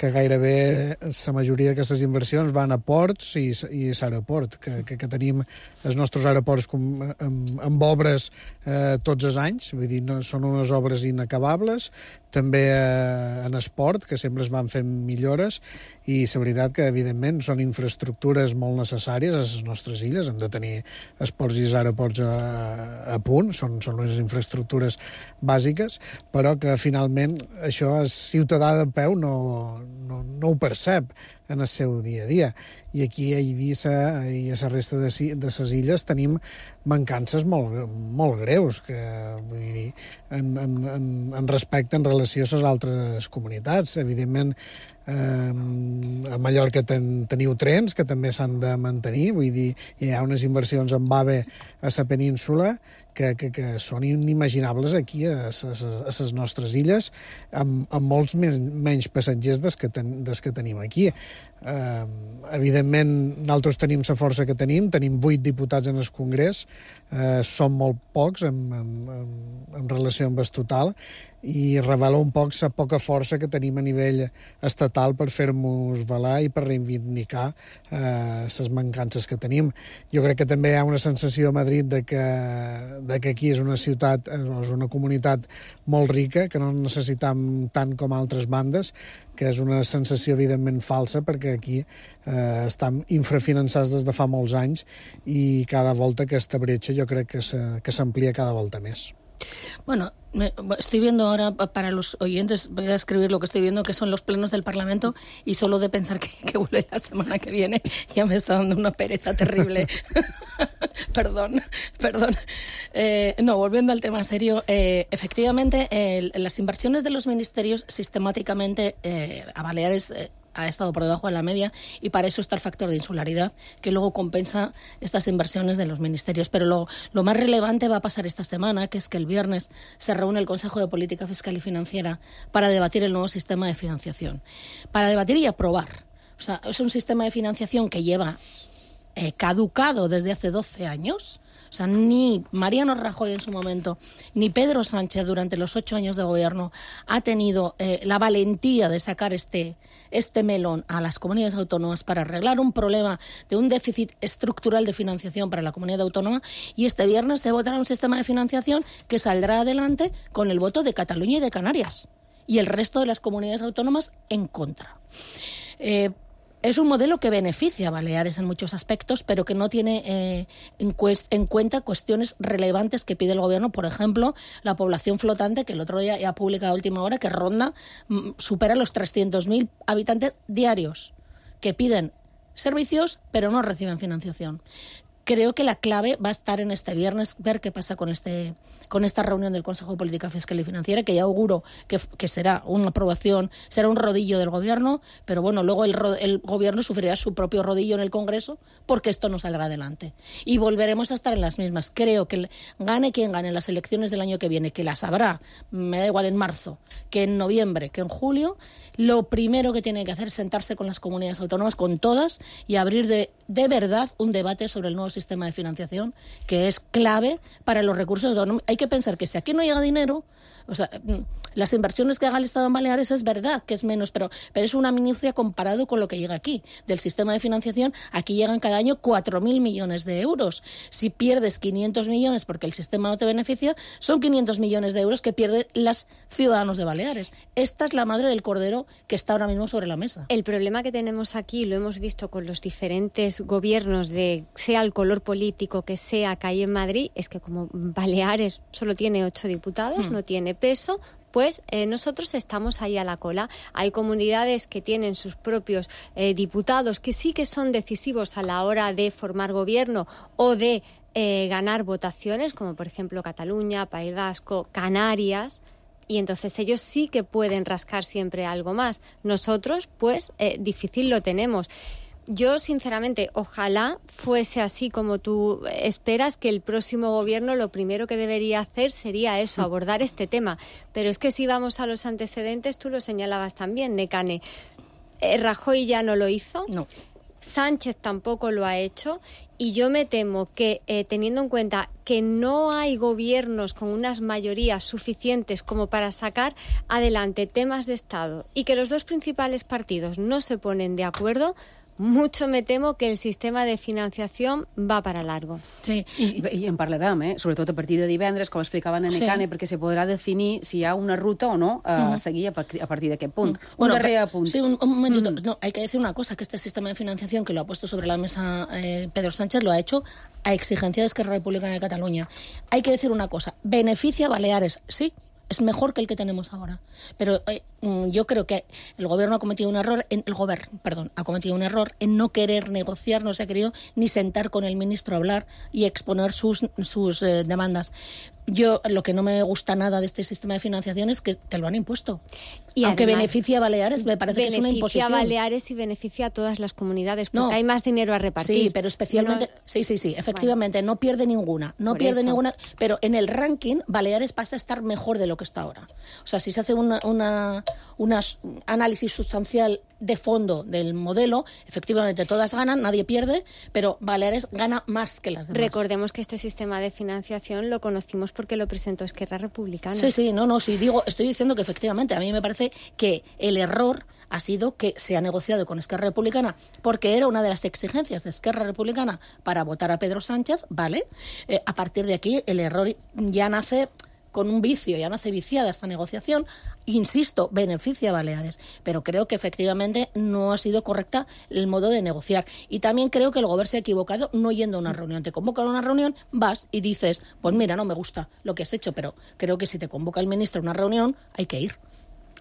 que gairebé la majoria d'aquestes inversions van a ports i, i l'aeroport, que, que, que tenim els nostres aeroports com, amb, amb obres eh, tots els anys, vull dir, no, són unes obres inacabables, també eh, en esport, que sempre es van fent millores, i la veritat que, evidentment, són infraestructures molt necessàries a les nostres illes, hem de tenir els ports i els aeroports a, a punt, són, són unes infraestructures bàsiques, però que finalment això el ciutadà de peu no, no, no ho percep en el seu dia a dia. I aquí a Eivissa i a la resta de, de les illes tenim mancances molt, molt greus, que vull dir, en, en, en, en respecte en relació a les altres comunitats. Evidentment, eh, a Mallorca ten, teniu trens que també s'han de mantenir, vull dir, hi ha unes inversions en AVE a la península que, que, que són inimaginables aquí a les nostres illes, amb, amb molts més, menys passatgers des que, ten, des que tenim aquí. Eh, evidentment, nosaltres tenim la força que tenim, tenim vuit diputats en el Congrés, eh, són molt pocs en, en, en, en relació amb el total, i revela un poc la poca força que tenim a nivell estatal per fer-nos valer i per reivindicar eh, les mancances que tenim. Jo crec que també hi ha una sensació a Madrid de que, de que aquí és una ciutat, és una comunitat molt rica, que no necessitam tant com altres bandes, que és una sensació evidentment falsa, perquè aquí eh, estan infrafinançats des de fa molts anys i cada volta aquesta bretxa jo crec que s'amplia cada volta més. Bueno, me, estoy viendo ahora, para los oyentes, voy a escribir lo que estoy viendo, que son los plenos del Parlamento, y solo de pensar que, que vuelve la semana que viene ya me está dando una pereza terrible. perdón, perdón. Eh, no, volviendo al tema serio, eh, efectivamente, eh, las inversiones de los ministerios sistemáticamente eh, a Baleares eh, ha estado por debajo de la media, y para eso está el factor de insularidad, que luego compensa estas inversiones de los ministerios. Pero lo, lo más relevante va a pasar esta semana, que es que el viernes se reúne el Consejo de Política Fiscal y Financiera para debatir el nuevo sistema de financiación. Para debatir y aprobar. O sea, es un sistema de financiación que lleva eh, caducado desde hace doce años. O sea, ni Mariano Rajoy en su momento, ni Pedro Sánchez durante los ocho años de gobierno ha tenido eh, la valentía de sacar este, este melón a las comunidades autónomas para arreglar un problema de un déficit estructural de financiación para la comunidad autónoma, y este viernes se votará un sistema de financiación que saldrá adelante con el voto de Cataluña y de Canarias y el resto de las comunidades autónomas en contra. Eh, Es un modelo que beneficia a Baleares en muchos aspectos, pero que no tiene eh, en, cuest- en cuenta cuestiones relevantes que pide el gobierno. Por ejemplo, la población flotante, que el otro día ya ha publicado a última hora, que ronda, m- supera los trescientos mil habitantes diarios, que piden servicios, pero no reciben financiación. Creo que la clave va a estar en este viernes, ver qué pasa con este con esta reunión del Consejo de Política Fiscal y Financiera, que ya auguro que, que será una aprobación, será un rodillo del gobierno, pero bueno, luego el, el gobierno sufrirá su propio rodillo en el Congreso, porque esto no saldrá adelante. Y volveremos a estar en las mismas. Creo que gane quien gane las elecciones del año que viene, que las habrá, me da igual en marzo, que en noviembre, que en julio, lo primero que tiene que hacer es sentarse con las comunidades autónomas, con todas, y abrir de, de verdad un debate sobre el nuevo sistema de financiación, que es clave para los recursos autónomos. Hay que pensar que si aquí no llega dinero, o sea, las inversiones que haga el Estado en Baleares es verdad que es menos, pero, pero es una minucia comparado con lo que llega aquí. Del sistema de financiación, aquí llegan cada año cuatro mil millones de euros. Si pierdes quinientos millones porque el sistema no te beneficia, son quinientos millones de euros que pierden los ciudadanos de Baleares. Esta es la madre del cordero que está ahora mismo sobre la mesa. El problema que tenemos aquí, lo hemos visto con los diferentes gobiernos, de sea el color político que sea que hay en Madrid, es que como Baleares solo tiene ocho diputados, hmm. no tiene peso, pues eh, nosotros estamos ahí a la cola. Hay comunidades que tienen sus propios eh, diputados que sí que son decisivos a la hora de formar gobierno o de eh, ganar votaciones, como por ejemplo Cataluña, País Vasco, Canarias, y entonces ellos sí que pueden rascar siempre algo más. Nosotros, pues, eh, difícil lo tenemos. Yo, sinceramente, ojalá fuese así como tú esperas, que el próximo gobierno lo primero que debería hacer sería eso, abordar este tema. Pero es que si vamos a los antecedentes, tú lo señalabas también, Nekane. Eh, Rajoy ya no lo hizo. No. Sánchez tampoco lo ha hecho, y yo me temo que, eh, teniendo en cuenta que no hay gobiernos con unas mayorías suficientes como para sacar adelante temas de Estado, y que los dos principales partidos no se ponen de acuerdo, mucho me temo que el sistema de financiación va para largo. Sí. I, i en parlarem, eh? Sobretot a partir de divendres, com explicava en Necane, sí. perquè se podrà definir si hi ha una ruta o no a uh-huh. seguir a, par- a partir d'aquest punt. Uh-huh. Bueno, un darrer pero, apunt. Sí, un, un momentito. Mm. No, hay que decir una cosa, que este sistema de financiación que lo ha puesto sobre la mesa eh, Pedro Sánchez lo ha hecho a exigencia de Esquerra Republicana de Cataluña. Hay que decir una cosa, beneficia a Baleares, sí, es mejor que el que tenemos ahora. Pero eh, yo creo que el gobierno ha cometido un error, en, el gobierno, perdón, ha cometido un error en no querer negociar, no se ha querido ni sentar con el ministro a hablar y exponer sus, sus eh, demandas. Yo lo que no me gusta nada de este sistema de financiación es que te lo han impuesto. Y aunque además, beneficia a Baleares, me parece que es una imposición. Beneficia a Baleares y beneficia a todas las comunidades, porque no, hay más dinero a repartir. Sí, pero especialmente... No, sí, sí, sí, efectivamente, bueno, no pierde ninguna, no pierde eso. ninguna... Pero en el ranking, Baleares pasa a estar mejor de lo que está ahora. O sea, si se hace un una, una análisis sustancial de fondo del modelo, efectivamente todas ganan, nadie pierde, pero Baleares gana más que las demás. Recordemos que este sistema de financiación lo conocimos porque lo presentó Esquerra Republicana. Sí, sí, no, no, sí, digo, estoy diciendo que efectivamente a mí me parece que el error ha sido que se ha negociado con Esquerra Republicana porque era una de las exigencias de Esquerra Republicana para votar a Pedro Sánchez, ¿vale? Eh, a partir de aquí el error ya nace con un vicio, ya nace viciada esta negociación. Insisto, beneficia a Baleares, pero creo que efectivamente no ha sido correcta el modo de negociar. Y también creo que el gobierno se ha equivocado no yendo a una reunión. Te convocan a una reunión, vas y dices, pues mira, no me gusta lo que has hecho, pero creo que si te convoca el ministro a una reunión, hay que ir.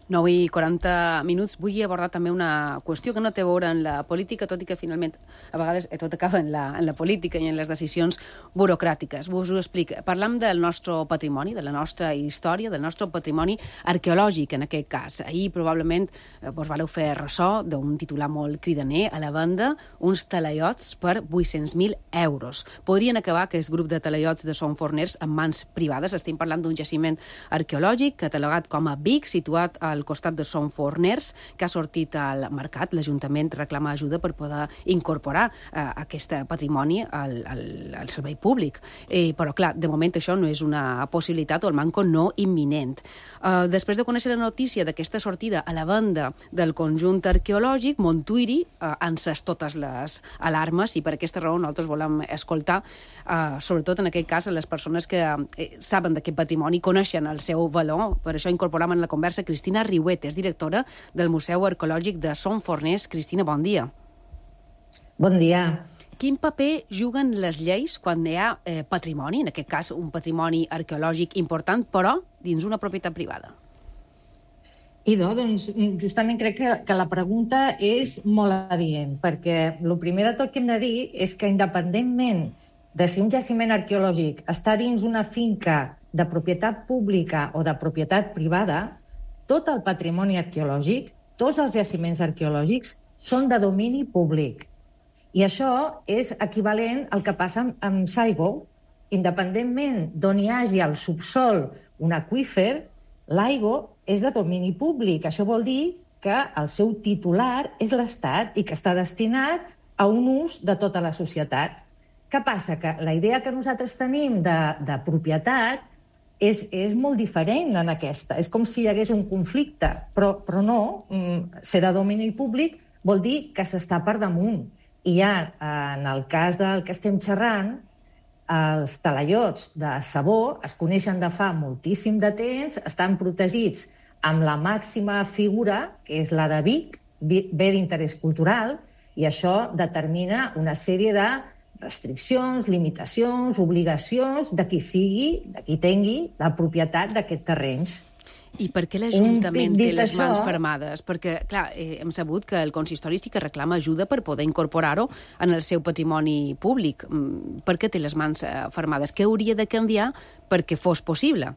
nou i quaranta minuts. Vull abordar també una qüestió que no té a veure en la política, tot i que finalment a vegades tot acaba en la, en la política i en les decisions burocràtiques. Us ho explico. Parlam del nostre patrimoni, de la nostra història, del nostre patrimoni arqueològic, en aquest cas. Ahir probablement eh, vos valeu fer ressò d'un titular molt cridaner, a la venda uns talaiots per vuit-cents mil euros. Podrien acabar aquest grup de talaiots de Son Forners en mans privades. Estem parlant d'un jaciment arqueològic catalogat com a Vic, situat a al costat de Son Forners, que ha sortit al mercat. L'Ajuntament reclama ajuda per poder incorporar eh, aquest patrimoni al, al, al servei públic. Eh, però, clar, de moment això no és una possibilitat o el manco no imminent. Eh, després de conèixer la notícia d'aquesta sortida a la venda del conjunt arqueològic, Montuïri eh, ha encès totes les alarmes i per aquesta raó nosaltres volem escoltar, eh, sobretot en aquest cas, les persones que eh, saben d'aquest patrimoni, coneixen el seu valor. Per això incorporem en la conversa Cristina Riuet, és directora del Museu Arqueològic de Son Forners. Cristina, bon dia. Bon dia. Quin paper juguen les lleis quan hi ha eh, patrimoni, en aquest cas un patrimoni arqueològic important, però dins una propietat privada? Idò, doncs, justament crec que, que la pregunta és molt adient, perquè el primer de tot que hem de dir és que independentment de si un jaciment arqueològic està dins una finca de propietat pública o de propietat privada, tot el patrimoni arqueològic, tots els jaciments arqueològics són de domini públic. I això és equivalent al que passa amb, amb Saigo. Independentment d'on hi hagi al subsol un aqüífer, l'aigua és de domini públic. Això vol dir que el seu titular és l'Estat i que està destinat a un ús de tota la societat. Què passa? Que la idea que nosaltres tenim de, de propietat És, és molt diferent en aquesta. És com si hi hagués un conflicte, però, però no. Ser de domini públic vol dir que s'està per damunt. I ja, en el cas del que estem xerrant, els talaiots de Sabó es coneixen de fa moltíssim de temps, estan protegits amb la màxima figura, que és la de Vic, bé d'interès cultural, i això determina una sèrie de restriccions, limitacions, obligacions de qui sigui, de qui tingui la propietat d'aquests terrenys. I per què l'Ajuntament té les mans fermades? Perquè, clar, eh, hem sabut que el consistori sí que reclama ajuda per poder incorporar-ho en el seu patrimoni públic. Per què té les mans eh, fermades? Què hauria de canviar perquè fos possible?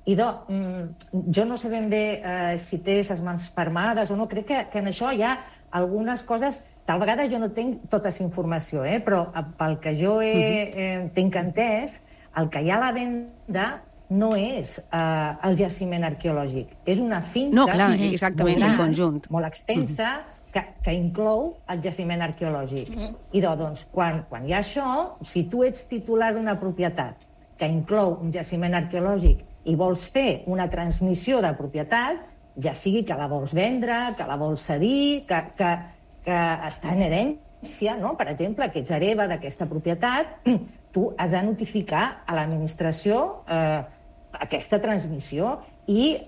Idò, jo no sé ben bé eh, si té les mans fermades o no. Crec que, que en això hi ha algunes coses. Tal vegada jo no tinc tota aquesta informació, eh? Però pel que jo he, eh, tinc entès, el que hi ha a la venda no és eh, el jaciment arqueològic. És una finca no, clar, exactament, molt, el conjunt. molt extensa que, que inclou el jaciment arqueològic. I doncs, quan, quan hi ha això, si tu ets titular d'una propietat que inclou un jaciment arqueològic i vols fer una transmissió de propietat, ja sigui que la vols vendre, que la vols cedir, que, que, que està en herència, no? Per exemple, que ets hereva d'aquesta propietat, tu has de notificar a l'administració eh, aquesta transmissió i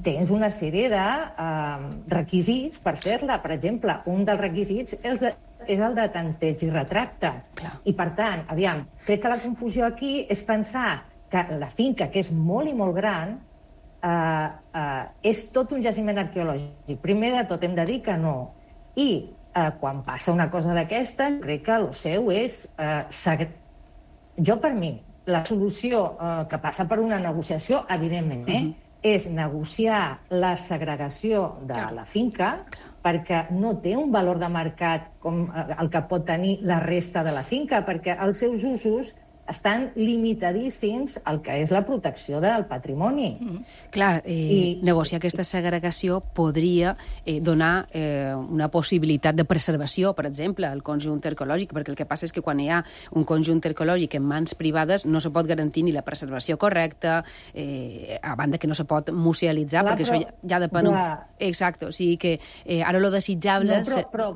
tens una sèrie de eh, requisits per fer-la. Per exemple, un dels requisits és, de, és el de tanteig i retracte. Clar. I, per tant, aviam, crec que la confusió aquí és pensar que la finca, que és molt i molt gran, eh, eh, és tot un jaciment arqueològic. Primer de tot hem de dir que no. I eh, quan passa una cosa d'aquesta, crec que el seu és... Eh, segre... Jo, per mi, la solució eh, que passa per una negociació, evidentment, eh, uh-huh. és negociar la segregació de la finca perquè no té un valor de mercat com el que pot tenir la resta de la finca, perquè els seus usos estan limitadíssims al que és la protecció del patrimoni. Mm. Clar, eh, I... negociar aquesta segregació podria eh, donar eh, una possibilitat de preservació, per exemple, al conjunt arqueològic, perquè el que passa és que quan hi ha un conjunt arqueològic en mans privades no se pot garantir ni la preservació correcta, eh, a banda que no se pot musealitzar, Clar, perquè però... això ja, ja depèn... Ja... Exacte, o sigui que eh, ara lo desitjable... No, però, però...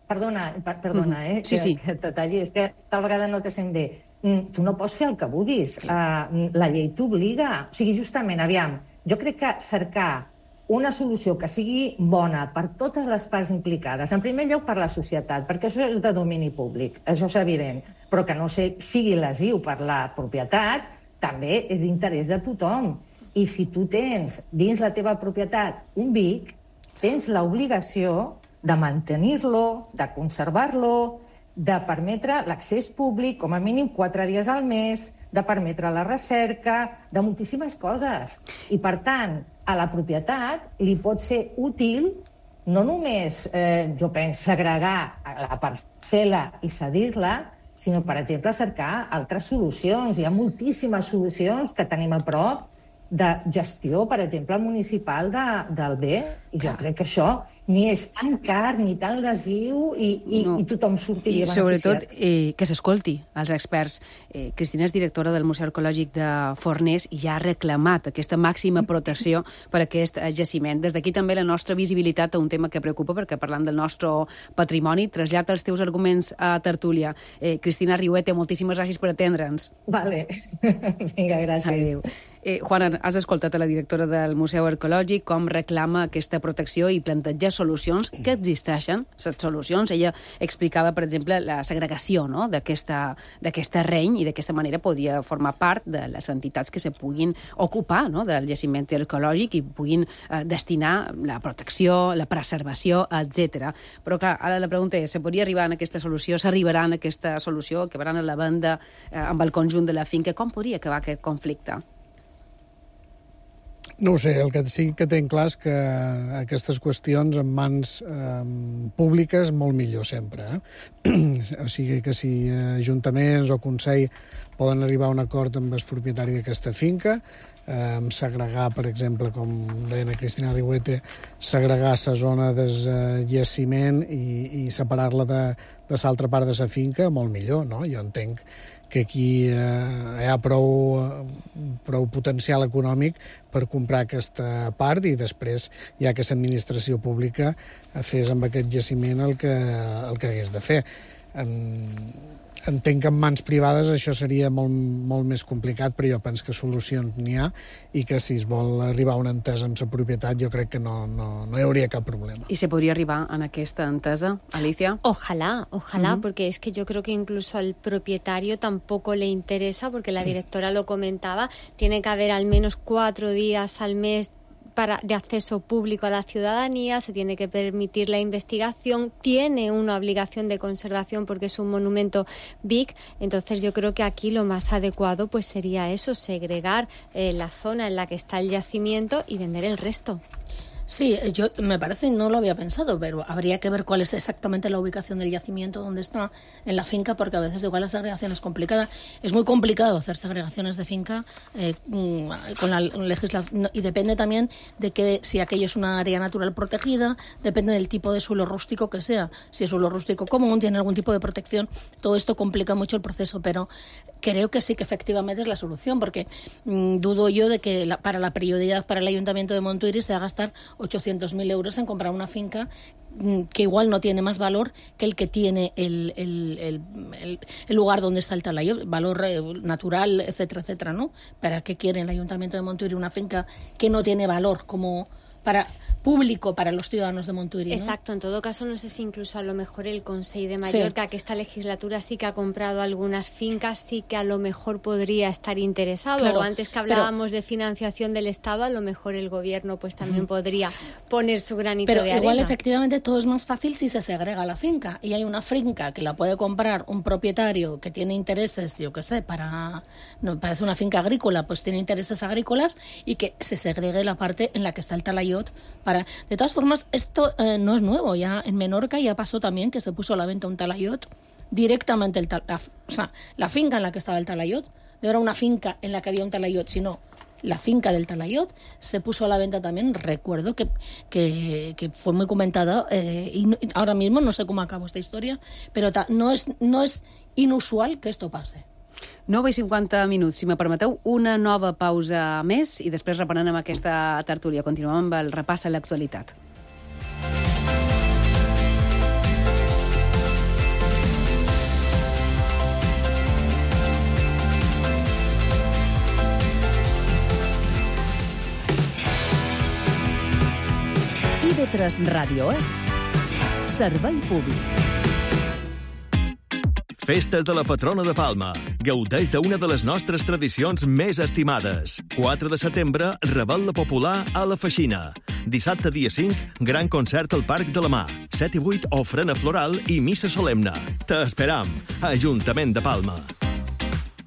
Perdona, per, perdona, eh, sí, sí. que, que te talli, és que tal vegada no te sent bé. Mm, tu no pots fer el que vulguis. Uh, la llei t'obliga. O sigui, justament, aviam, jo crec que cercar una solució que sigui bona per totes les parts implicades, en primer lloc per la societat, perquè això és de domini públic, això és evident, però que no sé, sigui lesiu per la propietat, també és d'interès de tothom. I si tu tens dins la teva propietat un Vic, tens l'obligació de mantenir-lo, de conservar-lo, de permetre l'accés públic com a mínim quatre dies al mes, de permetre la recerca, de moltíssimes coses. I, per tant, a la propietat li pot ser útil no només, eh, jo penso, segregar la parcel·la i cedir-la, sinó, per exemple, cercar altres solucions. Hi ha moltíssimes solucions que tenim a prop de gestió, per exemple, municipal de, del bé, i jo crec que això ni és tan car, ni tan lesiu, i, i, no. i tothom sortiria beneficiat. I sobretot eh, que s'escolti als experts. Eh, Cristina és directora del Museu Arqueològic de Forners i ja ha reclamat aquesta màxima protecció per a aquest jaciment. Des d'aquí també la nostra visibilitat a un tema que preocupa, perquè parlant del nostre patrimoni, trasllada els teus arguments a tertúlia. Eh, Cristina Riuete, moltíssimes gràcies per atendre'ns. Vale. Vinga, gràcies. Adéu. Eh, Juana, has escoltat a la directora del Museu Arqueològic com reclama aquesta protecció i planteja solucions que existeixen, les solucions. Ella explicava, per exemple, la segregació, no?, d'aquest terreny, i d'aquesta manera podria formar part de les entitats que se puguin ocupar, no?, del jaciment arqueològic i puguin eh, destinar la protecció, la preservació, etcètera. Però, clar, ara la pregunta és, se podria arribar a aquesta solució? S'arribarà a aquesta solució? Acabaran a la venda eh, amb el conjunt de la finca? Com podria acabar aquest conflicte? No ho sé, el que sí que tenc clar és que aquestes qüestions en mans eh, públiques molt millor sempre. Eh? O sigui que si ajuntaments o Consell poden arribar a un acord amb el propietari d'aquesta finca, eh, segregar, per exemple, com deia la Cristina Riuete, segregar la zona del jaciment i, i separar-la de, de l'altra part de la finca, molt millor, no? Jo entenc que aquí eh, hi ha prou, prou potencial econòmic per comprar aquesta part i després ja que l'administració pública fes amb aquest jaciment el que, el que hagués de fer. Entenc que en mans privades això seria molt, molt més complicat, però jo penso que solucions n'hi ha i que si es vol arribar a una entesa amb la propietat jo crec que no, no, no hi hauria cap problema. ¿Y se podría arribar en aquesta entesa, Alicia? Ojalá, ojalá, Uh-huh. porque es que yo creo que incluso al propietario tampoco le interesa, porque la directora lo comentaba, tiene que haber al menos cuatro días al mes para, de acceso público a la ciudadanía, se tiene que permitir la investigación, tiene una obligación de conservación porque es un monumento B I C, entonces yo creo que aquí lo más adecuado pues sería eso, segregar eh, la zona en la que está el yacimiento y vender el resto. Sí, yo me parece, no lo había pensado, pero habría que ver cuál es exactamente la ubicación del yacimiento, dónde está en la finca, porque a veces igual la segregación es complicada. Es muy complicado hacer segregaciones de finca eh, con la legislación, y depende también de que si aquello es una área natural protegida, depende del tipo de suelo rústico que sea. Si es suelo rústico común, tiene algún tipo de protección, todo esto complica mucho el proceso, pero creo que sí que efectivamente es la solución, porque mmm, dudo yo de que la, para la prioridad para el Ayuntamiento de Montuïri se va a gastar ochocientos mil euros en comprar una finca mmm, que igual no tiene más valor que el que tiene el, el, el, el, el lugar donde está el Talayot, valor eh, natural, etcétera, etcétera, ¿no? ¿Para qué quiere el Ayuntamiento de Montuïri una finca que no tiene valor como para público para los ciudadanos de Montuïri, ¿no? Exacto, en todo caso no sé si incluso a lo mejor el Consell de Mallorca, sí, que esta legislatura sí que ha comprado algunas fincas, sí que a lo mejor podría estar interesado, claro, o antes que hablábamos pero, de financiación del Estado, a lo mejor el gobierno pues también uh-huh. podría poner su granito pero de arena. Pero igual efectivamente todo es más fácil si se segrega la finca, y hay una finca que la puede comprar un propietario que tiene intereses, yo qué sé, para, no, parece una finca agrícola, pues tiene intereses agrícolas, y que se segregue la parte en la que está el Talayot. Para... De todas formas, esto eh, no es nuevo. Ya en Menorca ya pasó también que se puso a la venta un Talayot directamente, el tal... la, o sea, la finca en la que estaba el Talayot, no era una finca en la que había un Talayot, sino la finca del Talayot se puso a la venta también. Recuerdo que, que, que fue muy comentada eh, y no, ahora mismo no sé cómo acabó esta historia, pero ta, no, és, no és inusual que esto pase. nou i cinquanta minuts, si me permeteu, una nova pausa més i després reprenem amb aquesta tertúlia. Continuem amb el repàs a l'actualitat. I V tres Ràdio és servei públic. Festes de la patrona de Palma. Gaudeix d'una de les nostres tradicions més estimades. quatre de setembre, Revetlla Popular a la Feixina. Dissabte, dia cinc, gran concert al Parc de la Mar. set i vuit, ofrena floral i missa solemne. T'esperam. Ajuntament de Palma.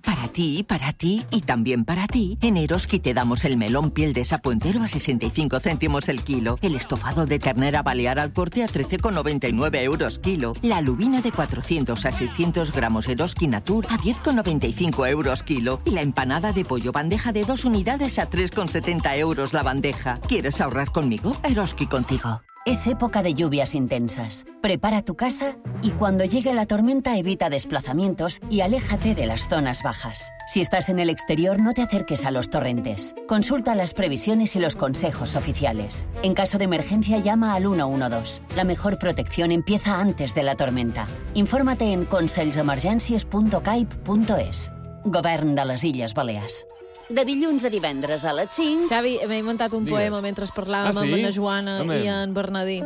Para ti, para ti y también para ti, en Eroski te damos el melón piel de sapo entero a sesenta y cinco céntimos el kilo, el estofado de ternera balear al corte a trece con noventa y nueve euros kilo, la lubina de cuatrocientos a seiscientos gramos Eroski Natur a diez con noventa y cinco euros kilo y la empanada de pollo bandeja de dos unidades a tres con setenta euros la bandeja. ¿Quieres ahorrar conmigo? Eroski contigo. Es época de lluvias intensas. Prepara tu casa y cuando llegue la tormenta evita desplazamientos y aléjate de las zonas bajas. Si estás en el exterior, no te acerques a los torrentes. Consulta las previsiones y los consejos oficiales. En caso de emergencia, llama al uno uno dos. La mejor protección empieza antes de la tormenta. Infórmate en consells-emergències punt caip punt es. Govern de les Illes Balears. De dilluns a divendres a les cinc... Xavi, m'he inventat un Digues. poema mentre parlàvem Ah, sí? amb la Joana Amén. i en Bernadí.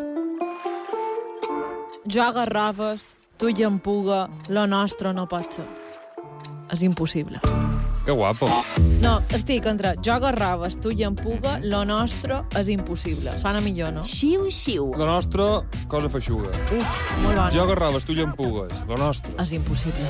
Jo agarraves, tu llampuga, lo nostre no pot ser. És impossible. Que guapo. No, estic entre jo agarraves, tu llampuga, lo nostre és impossible. Sona millor, no? Xiu, xiu. Lo nostre, cosa feixuga. Uf, molt bona. Jo agarraves, tu llampugues. Lo nostre. És impossible.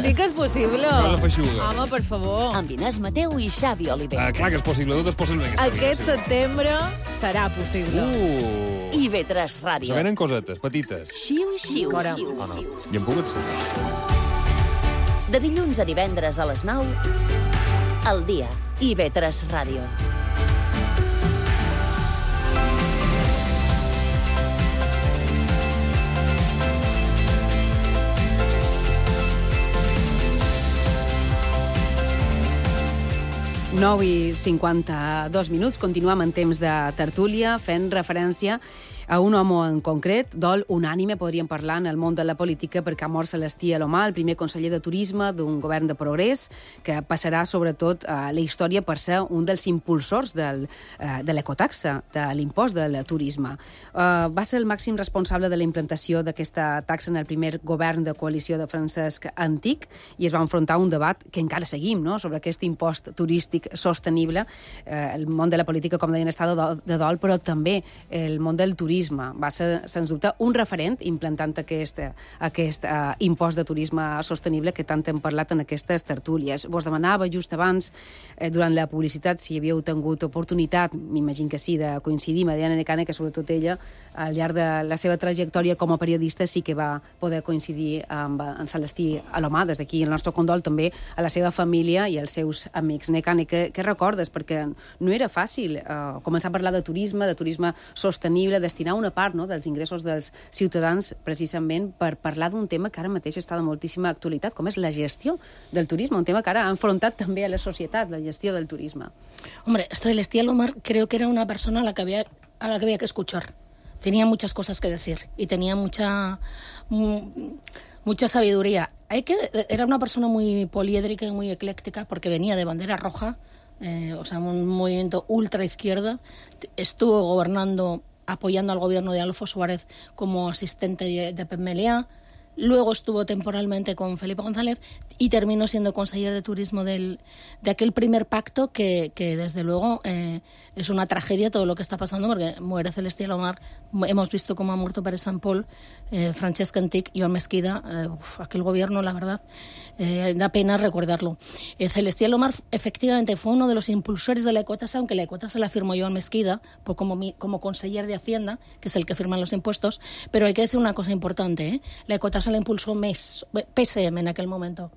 Sí que és possible. Cosa feixuga. Home, per favor. Amb Inés Mateu i Xavi Oliver. Ah, clar que és possible, tot és possible. en aquesta Aquest vida, sí. setembre serà possible. Uh. I V tres Ràdio. Se venen cosetes, petites. Xiu, xiu. Fora. Ah, no. Llampugues, sí. De dilluns a divendres a les nou, al dia. I V tres Ràdio. nou i cinquanta-dos minuts. Continuem en temps de tertúlia, fent referència a un home en concret, dol unànime, podríem parlar, en el món de la política, perquè ha mort Celestí Alomar, el primer conseller de Turisme d'un govern de progrés, que passarà sobretot a la història per ser un dels impulsors del, de l'ecotaxa, de l'impost del turisme. Uh, va ser el màxim responsable de la implantació d'aquesta taxa en el primer govern de coalició de Francesc Antic i es va enfrontar a un debat que encara seguim, no?, sobre aquest impost turístic sostenible. Uh, el món de la política, com deien, està de dol, de dol, però també el món del turisme va ser, sens dubte, un referent implantant aquest, aquest uh, impost de turisme sostenible que tant hem parlat en aquestes tertúlies. Vos demanava just abans, eh, durant la publicitat, si havíeu tingut oportunitat, m'imagino que sí, de coincidir amb Diana Necane, que sobretot ella, al llarg de la seva trajectòria com a periodista, sí que va poder coincidir amb en Celestí Alomar. Des d'aquí el nostre condol també a la seva família i als seus amics. Necane, què, què recordes? Perquè no era fàcil eh, començar a parlar de turisme, de turisme sostenible, destinar destinar una part, no?, dels ingressos dels ciutadans precisament per parlar d'un tema que ara mateix està de moltíssima actualitat, com és la gestió del turisme, un tema que ara ha enfrontat també a la societat, la gestió del turisme. Hombre, Celestial Omar creo que era una persona a la que había, a la que, había que escuchar. Tenía muchas cosas que decir y tenía mucha, mucha sabiduría. Hay que, era una persona muy poliédrica y muy ecléctica porque venía de bandera roja, eh, o sea, un movimiento ultra izquierda. Estuvo gobernando, apoyando al gobierno de Adolfo Suárez como asistente de, de Pep Meliá. Luego estuvo temporalmente con Felipe González y terminó siendo consejero de turismo del, de aquel primer pacto que, que desde luego eh, es una tragedia todo lo que está pasando porque muere Celestial Omar. Hemos visto cómo ha muerto Pere Sant Pol, eh, Francesc Antich, Joan Mesquida. Eh, uf, aquel gobierno, la verdad, eh, da pena recordarlo. Eh, Celestial Omar efectivamente fue uno de los impulsores de la ecotasa, aunque la ecotasa la firmó Joan Mesquida por como, mi, como conseller de Hacienda, que es el que firma los impuestos, pero hay que decir una cosa importante, ¿eh? La ecotasa la impulsó P S M en aquel momento.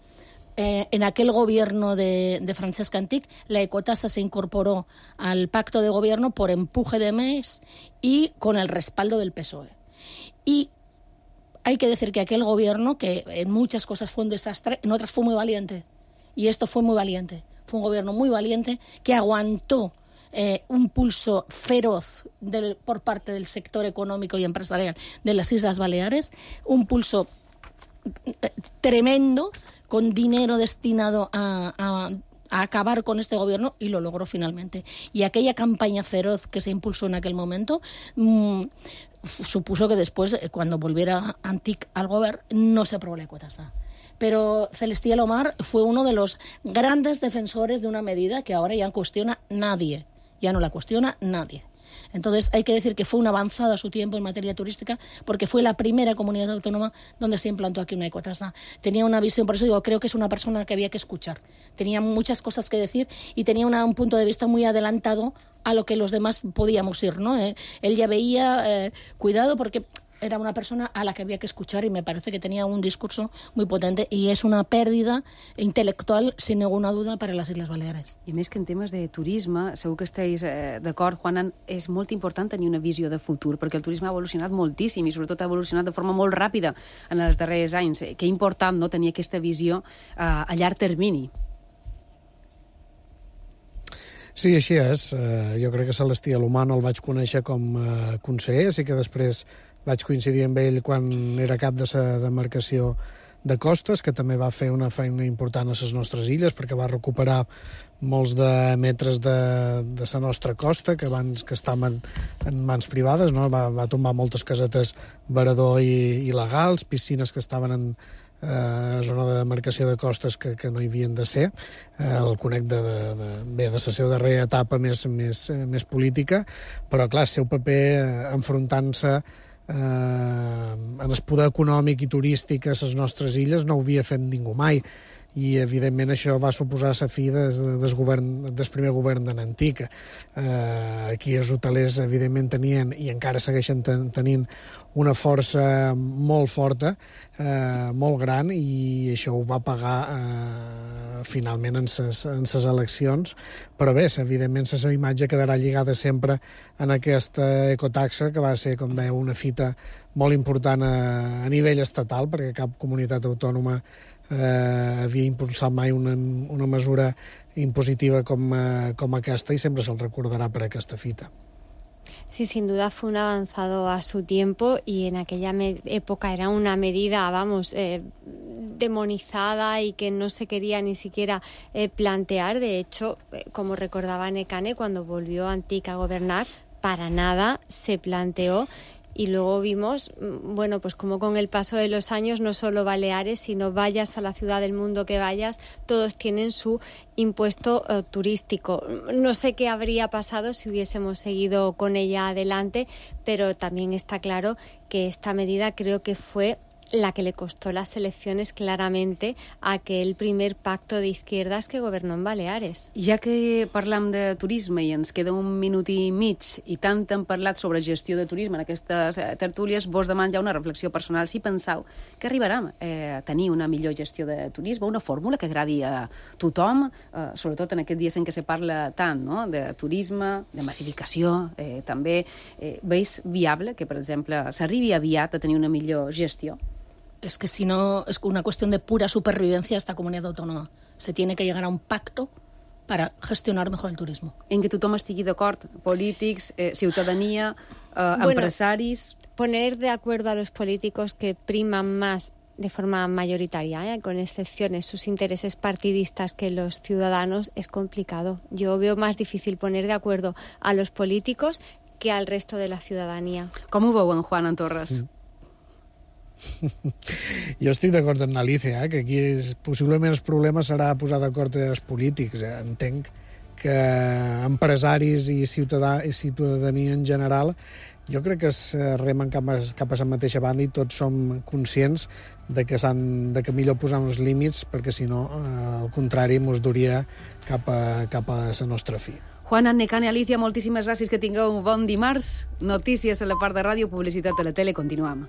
Eh, en aquel gobierno de, de Francesc Antich, la ecotasa se incorporó al pacto de gobierno por empuje de M E S y con el respaldo del P S O E. Y hay que decir que aquel gobierno, que en muchas cosas fue un desastre, en otras fue muy valiente. Y esto fue muy valiente. Fue un gobierno muy valiente que aguantó Eh, un pulso feroz del, por parte del sector económico y empresarial de las Islas Baleares, un pulso eh, tremendo con dinero destinado a, a, a acabar con este gobierno y lo logró finalmente. Y aquella campaña feroz que se impulsó en aquel momento mmm, supuso que después, eh, cuando volviera Antich al gobierno, no se aprobó la ecotasa. Pero Celestial Omar fue uno de los grandes defensores de una medida que ahora ya no cuestiona nadie. Ya no la cuestiona nadie. Entonces hay que decir que fue una avanzada a su tiempo en materia turística porque fue la primera comunidad autónoma donde se implantó aquí una ecotasa. Tenía una visión, por eso digo, creo que es una persona que había que escuchar. Tenía muchas cosas que decir y tenía una, un punto de vista muy adelantado a lo que los demás podíamos ir, ¿no? Eh, él ya veía, eh, cuidado, porque era una persona a la que había que escuchar y me parece que tenía un discurso muy potente y és una pèrdua intel·lectual, sin ninguna duda, per a les Illes Baleares. I més que en temes de turisme, segur que esteu eh, d'acord, Juanan, és molt important tenir una visió de futur, perquè el turisme ha evolucionat moltíssim i sobretot ha evolucionat de forma molt ràpida en els darrers anys. Que important, no?, tenir aquesta visió eh, a llarg termini. Sí, així és. Uh, jo crec que Celestial Omar el vaig conèixer com a uh, conseller, sí que després vaig coincidir amb ell quan era cap de la demarcació de costes, que també va fer una feina important a les nostres illes, perquè va recuperar molts de metres de, de la nostra costa, que abans que estaven en mans privades, no? va, va tombar moltes casetes veredor i il·legals, piscines que estaven en eh, zona de demarcació de costes que, que no hi havien de ser. Eh, el conec de, de, de, bé, de la seva darrera etapa més, més, més política, però clar, el seu paper eh, enfrontant-se Eh, en el poder econòmic i turístic a les nostres illes no ho havia fet ningú mai i evidentment això va suposar la fi des, des, govern, des primer govern de Nantic. Eh, aquí els hotelers evidentment tenien i encara segueixen ten, tenint una força molt forta, eh, molt gran, i això ho va pagar eh, finalment en ses, en ses eleccions, però bé, evidentment la seva imatge quedarà lligada sempre en aquesta ecotaxa, que va ser, com deia, una fita molt important a, a nivell estatal, perquè cap comunitat autònoma eh, havia impulsat mai una, una mesura impositiva com, eh, com aquesta, i sempre se'l recordarà per aquesta fita. Sí, sin duda fue un avanzado a su tiempo y en aquella época era una medida, vamos, eh, demonizada y que no se quería ni siquiera eh, plantear. De hecho, eh, como recordaba Nekane, cuando volvió Antich a gobernar, para nada se planteó. Y luego vimos, bueno, pues como con el paso de los años, no solo Baleares, sino vayas a la ciudad del mundo que vayas, todos tienen su impuesto uh, turístico. No sé qué habría pasado si hubiésemos seguido con ella adelante, pero también está claro que esta medida creo que fue la que le costó las elecciones claramente a aquel primer pacto de izquierdas que gobernó en Baleares. Ja que parlam de turisme i ens queda un minut i mig i tant hem parlat sobre gestió de turisme en aquestes tertúlies, vos demano ja una reflexió personal. Si penseu que arribarem eh, a tenir una millor gestió de turisme, una fórmula que agradi a tothom, eh, sobretot en aquests dies en què se parla tant, no?, de turisme, de massificació, eh, també eh, veus viable que, per exemple, s'arribi aviat a tenir una millor gestió? Es que si no, es una cuestión de pura supervivencia esta comunidad autónoma. Se tiene que llegar a un pacto para gestionar mejor el turismo. En què tothom estigui d'acord, polítics, eh, ciutadania, eh, bueno, empresaris... Poner de acuerdo a los políticos que priman más de forma mayoritaria, ¿eh?, con excepciones, sus intereses partidistas que los ciudadanos, es complicado. Yo veo más difícil poner de acuerdo a los políticos que al resto de la ciudadanía. Com ho veuen, Juan Antorres? Mm. Jo estic d'acord amb Alicia, eh, que aquí és, possiblement el problema serà posar d'acord els polítics. Eh. Entenc que empresaris i, ciutadà, i ciutadania en general, jo crec que es remen cap a, cap a la mateixa banda i tots som conscients de que, de que millor posar uns límits, perquè si no, eh, al contrari, mos duria cap a, cap a la nostra fi. Juan, Annecane, Alicia, moltíssimes gràcies, que tingueu un bon dimarts. Notícies a la part de ràdio, publicitat a la tele, continuem.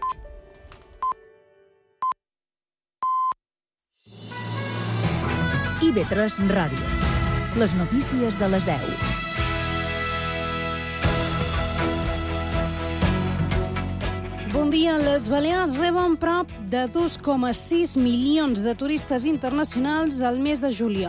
I V tres Ràdio. Les notícies de les deu. Bon dia. Les Balears reben prop de dos coma sis milions de turistes internacionals al mes de juliol.